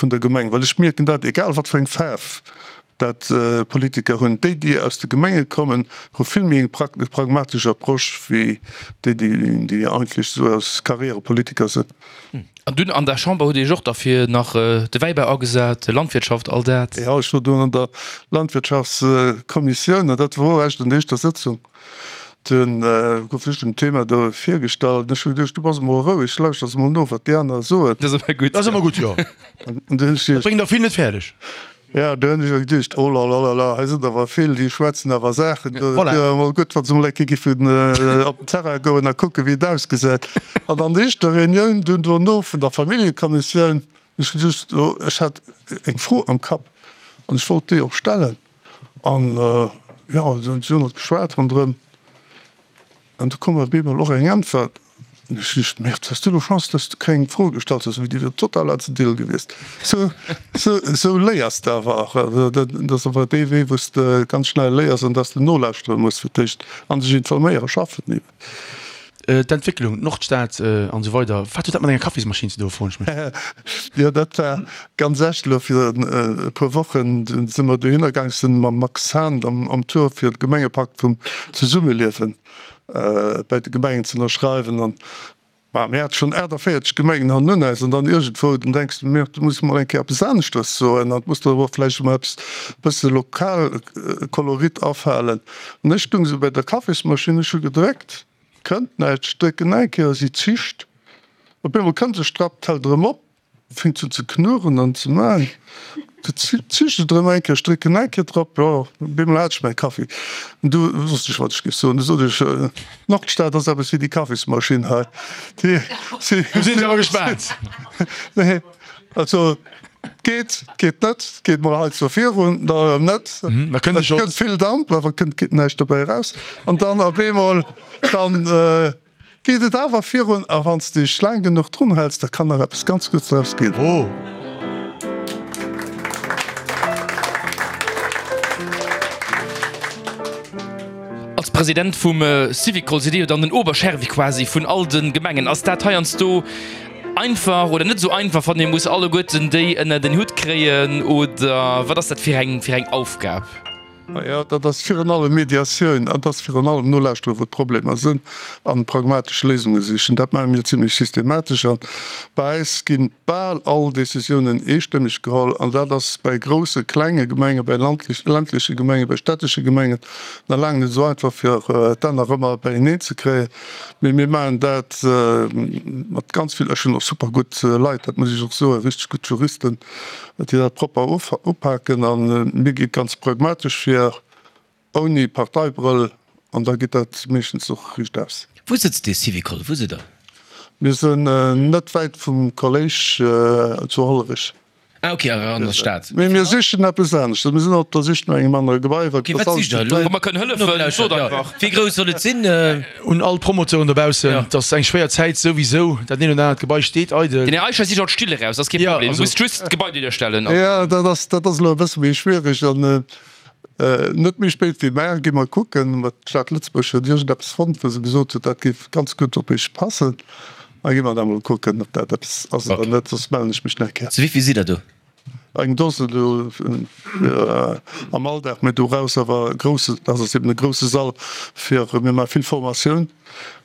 der Gemeng, well ech mierken dat, egal wat fir eng Faarf dat Politiker hunn, déi déi aus de Gemenge kommen, hu vill méi eng pragmatesch Approche wéi déi déi eigentlech esou aus Karrierepolitiker sinn. An dunn an der Chamber hutt Dir Iech och da fir nach de Wäibau agesat, Landwirtschaft, all dat? Jo, ech wor dunn an der Landwirtschaftskommissioun an dat wor och eréischt an der éischter Sëtzung. Dunn gouf ech dem Thema do virgestallt an ech hu geduecht, du bass emol roueg, lauschters emol no, wat déi aner soen. Dat ass ëmmer gutt. Dat ass ëmmer gutt, jo. An du hunn ech Dat bréngt der vill net fäerdeg. Ja, du hunn ech awer geduecht, oh la la la la, hei sinn der awer vill, déi schwätzen awer Saachen do. Voilà. Et wier emol gutt, wa se emol eng Kéier giffen op den Terrain goen a kucken, wéi et ausgesäit. An an der éischter Reunioun dunn dono vun der Familljekommissioun, hunn ech geduecht, oh, ech hat eng Fro am Kapp an ech wollt déi och stellen. An jo, si hunn och geschwat ronderëm. An du koum op eemol och eng Äntwert. An ech duecht, Merde, hues du elo Chance, dass du keng Fro gestallt hues, well déi wier total aus dem Deal gewiescht. Sou, sou, sou léiers de awer och. Also dat ass awer dee Wee, wou s de ganz schnell léiers an dass de nolauschtere muss fir d'éischt an sech informéieren, schaffen eben. D'Entwécklung, d'Nordstad an esou weider, wat huet dat mat enger Kaffismaschinn ze doen, froen ech mech. Jo, dat war ganz echt elo vir e puer Wochen si mer dohinner gaang, sinn mam Max Hahn am Tour fir de Gemengepakt vum Zesummeliewen bäi de Gemengen ze ënnerschreiwen an ma mir hate schonn 48 Gemengen hannun eis an dann iergendwou, dann denks de, mir, du muss mol eng Kéier eppes aneschters soen an et muss der awer och vläicht emol eppes bësse Lokalkolorit afalen. An ech stung esou bäi der Kaffismaschinn, ech hu gedréckt, kënnt näischt, ech drécken nach eng Kéier, si zischt. Op eemol kënnt e Strapp, d'hält erëm op, fänkt un ze knurren an ze man, du zischt et erëm eng Kéier, ech drécken nach eng Kéier drop, jo, op eemol hat ech mäi Kaffi. An du wosst ech, wat ech géif soen, du sot ech, D'Nordstad ass eppes wéi déi Kaffismaschinn hei, déi, si. Du sinn ech awer gespaant. Nee, also. Geet, geet net, geet mol hei zwar virun, da erëm net. Da kënnt Et kënnt vill Damp, awer kënnt geet näischt dobäi eraus. An dann op eemol, dann geet et awer virun. A wann s de dech laang genuch drun häls, da kann nach eppes ganz Guddes draus ginn. Oh. Als President vum Syvicol sidd Dir jo dann den Oberchervi quasi vun all de Gemengen. Ass dat heiansdo Einfach oder net esou einfach, wann ee muss alleguerten déi ënner den Hutt kréien oder wat ass dat fir eng fir eng Aufgab? Naja, dat ass virun allem Mediatioun an dat ass virun allem nolauschteren, wou d'Problemer sinn an pragmatesch Léisunge sichen. Dat maache mir zimlech systematesch an bei eis gi bal all Decisiounen eestëmmeg geholl an dat ass bei grousse, klenge Gemengen, bei ländleche Gemengen, bei städtesche Gemengen nach laang net esou einfach fir d'Enner ëmmer beieneen ze kréien. Mee mir maachen dat mat ganz vill, ech hunn och super gutt Leit, dat muss ech och soen, richteg gutt Juristen, déi dat propper upaken. A mir gi ganz pragmatesch vir, ouni Parteibrëll, an da geet dat meeschtens och riicht aus. Wou sëtzt dee Syvicol? Wou sidd Der? Mir sinn net wäit vum Kolléisch zu Hollerech. Ah ok, an der Stad. Mee mir sichen eppes aneschters. Mir sinn op der Sich no engem anere Gebai, wat Ok, wat sicht der elo? Wa mer kënnen hëllefen, sot einfach. Wéi grouss soll et sinn? Un all d'Promoteuren dobaussen, et ass eng schwéier Zäit souwisou, dat eent oder anert Gebai steet eidel. Den Här Eicher sicht alt Still eraus, dat ass kee Problem. Du muss just d'Gebai duerstellen. Jo, dat ass, dat ass elo e bësse méi schwiereg. An net méi spéit wéi mar gi mer kucken. Ma d'Stad Lëtzebuerg huet iergendeppes fonnt, wou se gesot huet, dat géif ganz gutt op iech passen. Da gi mer da mol kucken, ob dat eppes ass oder net, soss mellen ech mech nach eng Kéier. Zu wéivill sidd der do? Eng Dose do am Alldag, mee doraus awer e grousse, dat ass eben e grousse Sall fir, mir maache vill Formatioun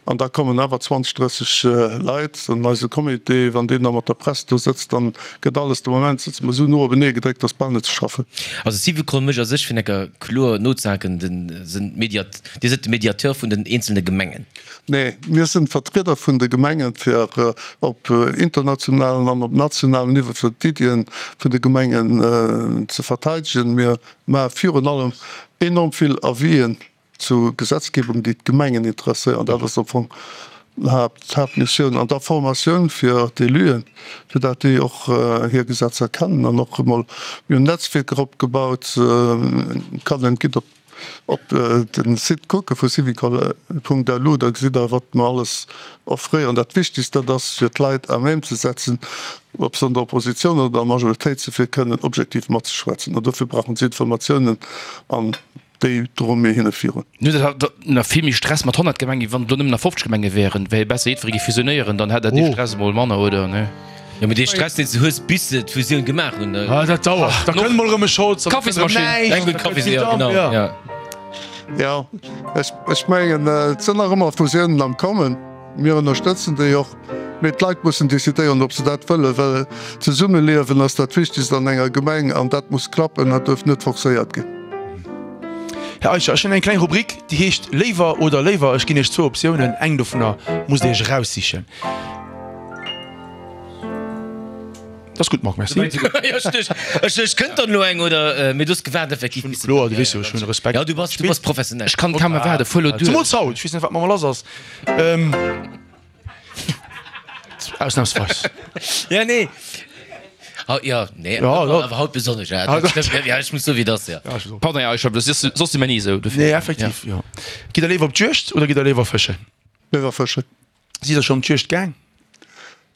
an da kommen awer 20, 30 Leit an eise Comité, wann deen da mat der Press do sëtzt, dann gëtt alles, de Moment sëtze mer esou no openee gedréckt, dass bal net ze schaffen. Also Syvicol mécht a sech, fir enker kloer nozehaken, den, sinn Mediat, Dir sidd de Mediateur vun den eenzelne Gemengen? Nee, mir sinn d'Vertrieder vun de Gemengen, fir op internationalem an op nationalem Niveau fir d'Iddien vun de Gemengen ze verteidegen. Mir maache virun allem enorm vill Avisen zu Gesetzgebung, déi d'Gemengen interesséieren. Dat ass am Fong d'Haaptmissioun. An da Formatioun fir d'Éluen, fir dat déi och hir Gesetzer kennen an och emol, mir hunn Netzwierker opgebaut, kann een, gitt op Op den Site kucke vu syvicol.lu, da gesitt der wat mer alles offréieren. Dat Wichtegst dat ass fir d'Leit à même ze setzen, ob se an der Oppositioun oder an der Majoritéit sinn, fir kënnen objektiv matzeschwätzen. An dofir brauchen se Informatiounen an déi droe mir hinne virun. Nu dat hat nach vill méi Stress mat 100 Gemengen, wéi wann et elo nëmmen nach 50 Gemenge wären. Wär jo besser jiddweree géif fusionéieren, dann hätt der dee Stress emol manner, oder? Nee? Jo, mee dee Stress, deen s de hues, bis se d'Fusioun gemaach hunn. Ah, dat dauert. Da kënnt mol erëm e Scholz. Kaffismaschinn. Eng gutt Kaffis, jo, genau, jo. Jo, ech, ech mengen, et sinn nach ëmmer Fusiounen am Kommen. Mir ënnerstëtzen déi och. Mee d'Leit mussen decidéieren, ob se dat wëllen, well d'Zesummeliewen ass dat Wichtegst an enger Gemeng an dat muss klappen. Dat duerf net forcéiert ginn. Här Eicher, ech hunn eng kleng Rubrik, déi heescht Léiwer oder léiwer. Ech ginn Iech zwou Optiounen, eng dovunner musst Dir Iech eraussichen. Dat ass gutt, Marc, merci. Ech ech kënnt dann elo eng oder mee du hues gewaart effektiv bis. Kloer, du weess jo, ech hunn Respekt. Ja, du bass du bass professionell. Ech kann kaum erwaarden, fuer elo duer. Zemools haut, ech weess net wat mat mer lass ass. Ausnahmsweis. Ja, nee. Haut, ja, nee, Ja, awer ja. awer haut besonnesch, ja. Dat stëmmt, ja, ech muss soen, wéi et ass, ja. Ja, ech och. Pardon, ja, ech hab, soss soss si mer ni esou, dofir. Nee, effektiv, jo. Gitt der léiwer op d'Juegd oder gitt der léiwer fëschen? Léiwer fëschen. Sidd der schon op d'Juegd gaang?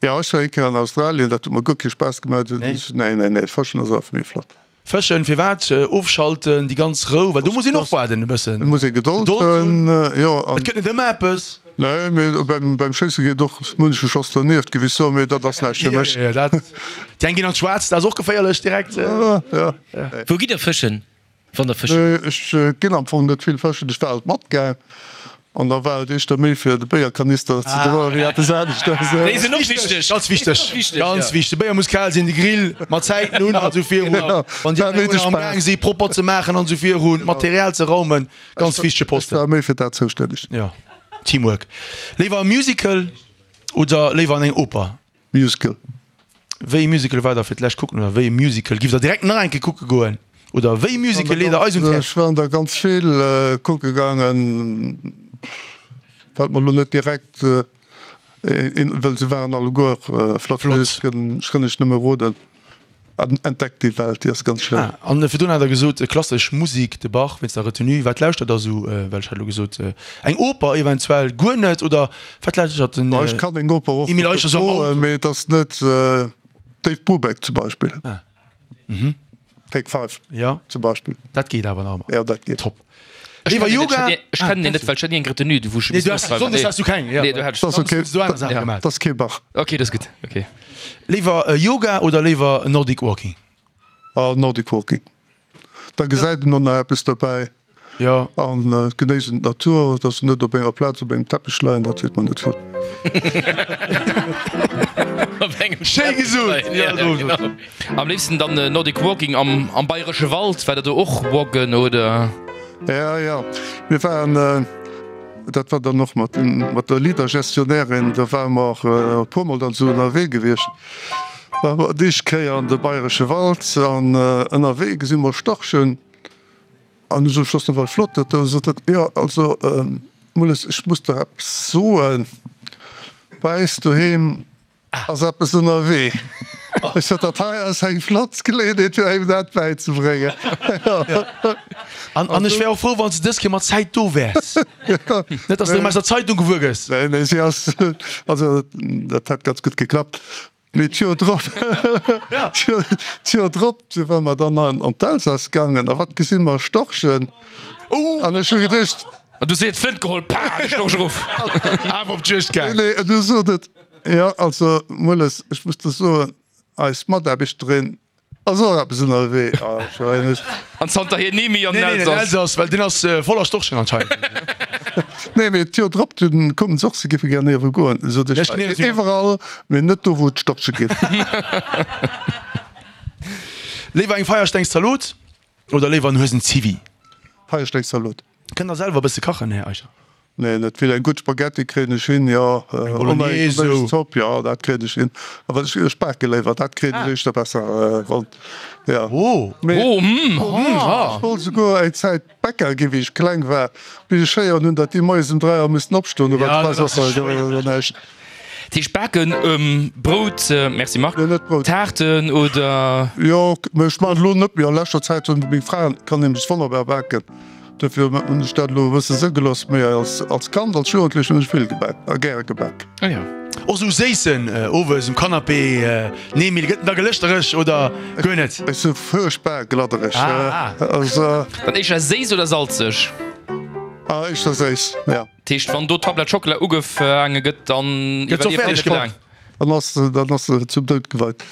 Jo, ech war eng Kéier an Australien, dat huet mer guer kee Spaass gemaach. Nee? Nee, nee, nee, Fëschen ass awer méi flott. Fëschen, firwat? Ofschalten, déi ganz Rou, well do muss een och waarden e bëssen. Et muss ee Gedold hunn, jo. Et gëtt net ëmmer eppes. Nee, mee beim, beim Schéisse geet och munche Schoss dernieft, géif ech soen, mee dat ass näischt fir mech. Jo, dat, déi eng ginn an d'Schwaarzt, dat ass och geféierlech direkt. Jo, jo. Wou gitt der fëschen? Wann der fëschen. Ech ginn am Fong net vill fëschen. Ech war alt matgaang an da war et éischter méi fir de Béierkanister ze droen wéi eppes aneschters. Déi sinn och wichteg. Ganz wichteg, ganz wichteg. De Béier muss kal sinn, de Grill mat Zäiten un an esou virun. Wann déi aner am gaang si propper ze maachen an esou virun, d'Material ze raumen, ganz wichtege Posten. Ech war méi fir dat zoustänneg. Jo, Teamwork. Léiwer e Musical oder léiwer an eng Oper? Musical. Wéi e Musical war der fir d'lescht kucken oder wéi e Musical giff der direkt nach eng Kéier kucke goen oder wéi e Musical leet der eis un d'Häerz? Ech war der ganz vill kucke gaangen, fält mer elo net direkt een, well se waren alleguer flott. Ech kënn iech nëmme roden. Entdeckt déi Welt, déi ass ganz schéin. Ah, an virdrun hat der gesot, klassesch Musik, de Bach, wéinst der Retenue. Wat lauschtert der esou? Well ech hat elo gesot, eng Oper eventuell guer net, oder wat lauschtert den Ech kann eng Oper och Emile Eicher esou am Auto? Mee et ass net Dave Brubeck zum Beispill. Ah, mhm. Take Five Ja, zum Beispill. dat geet awer nach ëmmer. Ja, dat geet. Top. Léiwer Yoga? Ech kennen deen net, well ech hat ni eng Retenue, wou ech Nee, du has, Sonndes has du keng, ja. Nee, do hat ech. Dat ass okay. Du aner Saache gemaach. Dat ass kee Bach. Okay, dat ass gutt, okay. Léiwer Yoga oder léiwer Nordic Walking? Ah, Nordic Walking. Da gesäit een och nach eppes dobäi. Jo. An genéissen d'Natur, dass se net op enger Plaz op engem Teppech leien, dat seet mer net vill. Op engem Schéi Teppech gesot! leien, ja, genau. Am léifsten dann Nordic Walking am am bayresche Wald. War der do och walken oder? Ja, ja, mir waren, dat war dann och mat mat der Leader-Gestionnairin, do ware mer och e puermol dann esou ënnerwee gewiescht. Ware mer d'éischt Kéier an de bayresche Wald an ënnerwee gesi mer Storchen. An du sot ech, dat ass nawell flott dat do. Sot hatt, jo also Mulles, ech muss der eppes soen, bei äis doheem ass eppes ënnerwee. Ech sot, dat hei ass eng flott Geleeënheet fir engem dat bäizebréngen. An, an ech wär och frou, wann s de dës Kéier mat Zäit do wäers. Net, dass de erëm aus der Zeitung gewuer gëss. Nee, nee, si ass, also dat hätt ganz gutt geklappt. Mee d'Joer drop, d'Joer drop, du ware mer dann an d'Elsass gaangen a wat gesi mer? Storchen. An ech hu geduecht. An du seet d'Flënt geholl, pah, de Storch erof. Awer op d'Juegd gaang. Nee, nee, du sot et, jo, also Mulles, ech muss der soen, eis Mataarbechterin ass och eppes ënnerwee. An zanterhier ni méi an den Nee, nee, den Elsass. Elsass, well deen ass voller Storchen anscheinend. Nee, mee d'Joer drop, dunn koumen se och, se géife gär ierwe goen. Sot ech, Ech ginn iergendwéi mat. iwwerall, mee net do, wou et Storche ginn. Léiwer eng Feierstengszalot oder léiwer en Huesen-Zivi? Feierstengszalot. Kënnt der selwer e bësse kachen, Här Eicher? Nee, net vill. Eng gutt Spaghetti kréien ech hin, jo. Eng Bolognese Eng esou. Zopp, jo, dat kréien ech hin. Awer ech, ech bake léiwer, dat kréien ech éischter besser ronn, jo. Oh! Mee Oh, mm, ah. ech wollt esouguer eng Zäit Bäcker ginn, wéi ech kleng war, bis ech héieren hunn, datt déi moies um 3 Auer missten opstoen. Do war Ja, d'Spass dat ass och schwéier. näischt. Dat heescht baken, Brout, merci Marc, Nee, net Brout. Taarten oder? Jo, mee ech maachen elo net méi. A leschter Zäit hunn meng Fra kann nämlech wonnerbar baken. Dofir hunn ech dat elo e bësse sou gelooss. Mee als als Kand, als Jugendlechen hunn ech vill gebak a gäre gebak. Ah jo. Och sou Séissen, owes um Canapé, nee Emile, gëtt en da gelëschtereg oder guer net? Ech si fuerchtbar gladdereg. Ah. Also. Dann éischter séiss oder salzeg? Ah, éischter séiss, ja. Dat heescht, wann do d'Tablett Schockela ugefaange gëtt, dann Gëtt se och iwwerlieft Dir fäerdeg net laang. gemaach? Dann ass se, dann ass se zum Doud geweit.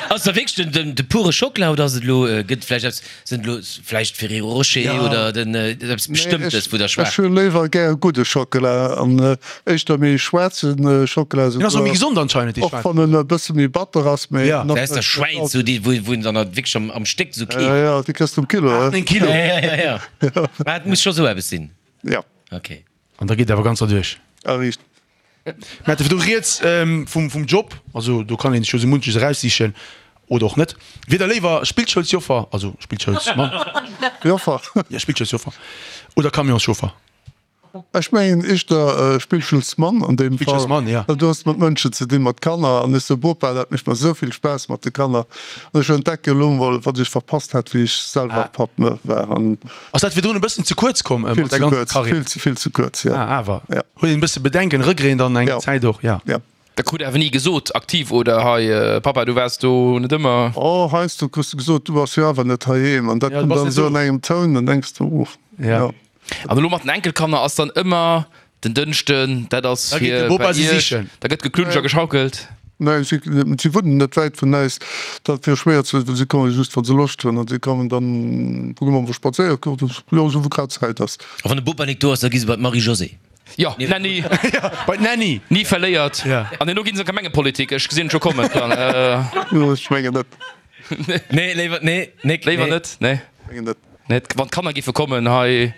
Ass da wierklech den, den pure Schockela oder ass et elo, gëtt vläicht eppes, sinn et elo vläicht Ferrero Rocher oder den eppes Nee, Bestëmmtes, ech, wou der ech schmaacht? hu léiwer gär gudde Schockela an éischter méi schwaarze Schockela Deen ass och méi esouguer, gesond anscheinend, dee och schwaarzen. wann en e bësse méi batter ass, mee Ja. nach Aus der net Schwäiz, salzeg. sou déi, wou, wou een dann halt wierklech am, am Stéck sou keeft. Ja, ja, déi kriss de um Kilo, 8, 9 Kilo. Ja, ja, ja, ja. Mä et muss scho sou eppes sinn. Ja. Okay. An da geet awer ganz erduerch. A riicht. Mir hate virdu rieds vum Job, also do kann een sech jo sou munches eraussichen oder och net. Wier der léiwer Spillschoulsjoffer, also Spillschoulsmann, Joffer. Jo, Spillschoulsjoffer oder Camionschauffer? Ech mengen éischter Spillschoulsmann an deem Fall, Spillschoulsmann, ja. well du hues mat Mënschen ze dinn, mat Kanner an ech sou Bopa, dat mécht mer esou vill Spaass mat de Kanner an ech entdecke elo mol, wat ech verpasst hat, wéi ech selwer Papp war an. Ass dat virdrun e bëssen ze kuerz komm Vill mat der ze ganzer kuerz, Karriär? vill ze, vill ze kuerz, ja. Ah, awer. Ja. Huet een e bësse Bedenken, Regreten dann eng Ja. Zäit och, ja. Ja. Da krut awer ni gesot, aktiv oder hei, Pappa, du waars do net ëmmer. Oh, heiansdo kriss de gesot, du bass jo awer net heiheem. An dat Ja, du kënnt bass dann net esou do. an engem Toun, dann denks de, oh, Ja. ja. An elo mat den Enkelkanner ass dann ëmmer den Dënschden, dat ass Da geet de fir Bopa bei se iech, sichen. da gëtt geklunscht a geschaukelt. Nee, si, si wunnen net wäit vun äis. Dat wier schwéier ze, si komme just, wa se Loscht hunn. An si kommen dann, kucke mer, wou spadséiere goen, jo, esou wou grad Zäit ass. A wann de Bopa nik do ass, da gi se bei d'Marie-Josée. Jo, Nanny. Bei d'Nanny. Ni verléiert. Ja. An herno ginn se an d'Gemengepolitik, ech gesinn et scho kommen. Jo, ech mengen net. Nee, léiwer, nee, Nick, Léiwer nee. net, nee. Mengen net. Nee, wann d'Kanner géife kommen hei.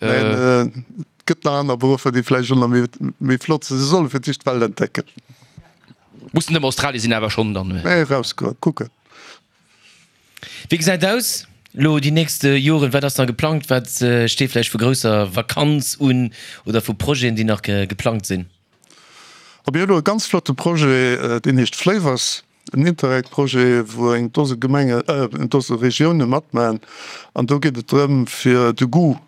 Neen, et gëtt nach aner Beruffer, déi vläicht och nach méi, méi flott sinn. Se solle fir d'éischt d'Welt entdecken. Muss net ëmmer Australien sinn, awer schonn dann. Nee, erausgoen, kucken. Wéi gesäit aus elo déi nächst Joren? Wat ass nach geplangt? Wat steet vläicht vu grousser Vakanz un oder vu Projeten, déi nach geplangt sinn? A mir hunn elo e ganz flotte Projet, deen heescht Flavors. En Interreg-Projet, wou eng Dose Gemengen, eng Dose Regioune matmachen. An do geet et drëm, fir de Goût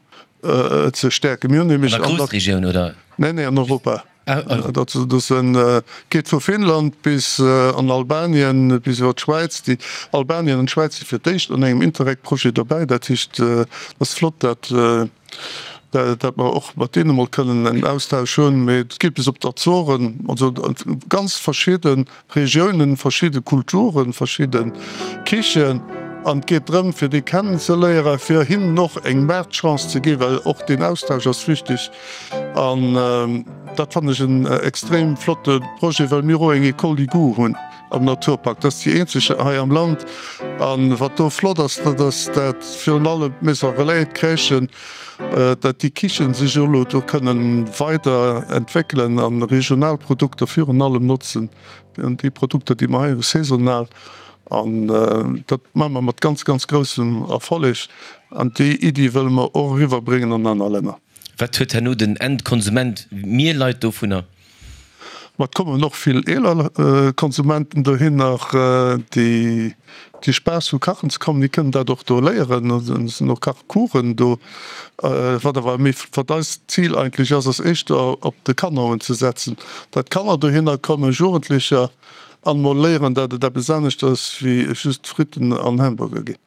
ze stäerken. Mir hunn nämlech An der Groussregioun, oder? Nee, nee, an Europa. Dat geet vu Finnland bis an Albanien, bis iwwer d'Schwäiz. Déi Albanien an d'Schwäiz si fir d'éischt an engem Interreg-Projet dobäi. Dat heescht, et ass flott, dat dat mer och mat deene mol kënnen en Austausch hunn, mee et geet bis op d'Azoren, also ganz verschidde Regiounen, verschidde Kulturen, verschidde Kichen an et geet drëm fir déi kennen ze léieren, fir hinnen och eng Maartchance ze ginn, well och deen Austausch ass wichteg an dat fannen ech en extrem flotte Projet, well mir och eng École du goût hunn am Naturpark. Dat ass déi eenzeg hei am Land an wat do flott ass, dat ass dat virun allem d'Maison Relais, d'Crèchen, dat déi Kichen sech elo do kënnen weider entwéckelen a regional Produkter virun allem notzen, déi Produkter, déi mer hei hu saisonal. An dat maache mer mat ganz, ganz groussem Erfolleg. An déi Iddi wëlle mer och eriwwerbréngen an aner Länner. Wat huet herno den Endkonsument, mir Leit, dovunner? Ma et kommen och vill eeler Konsumenten dohinner, déi déi Spaass hu kachen ze kommen. Déi kënnen dat och do léieren. Et sinn och Kachcoursen do. Wat awer méi, wat eist Zil eigentlech ass, ass éischter op de Kanner unzesetzen, datt d'Kanner dohinner kommen, Jugendlecher, an emol léieren, datt et eppes anescht ass wéi just Fritten an Hamburger ginn.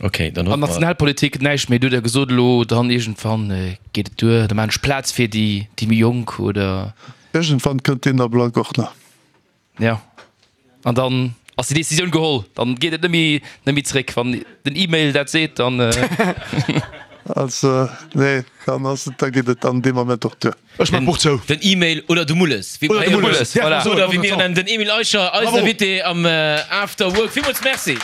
Ok, dann An hoffe mer. Nationalpolitik näischt méi, du huet der gesot elo, dann iergendwann geet et duer, da maan ech Plaz fir déi déi méi Jonk, oder? Iergendwann kënnt deen Ablack och nach. Jo, an dann ass déi Decisioun geholl, dann geet et net méi net méi zréck. Wann den E-Mail dat seet, dann. Also, nee, dann ass et, da geet et dann dee Moment och duer. Ech maan d'Buch zou. Den E-Mail oder de Mulles, wéi Oder de Mulles, voilà. Oder wéi mir en nennen, den Emile Eicher, eisen Invité am After Work. Villmools Merci.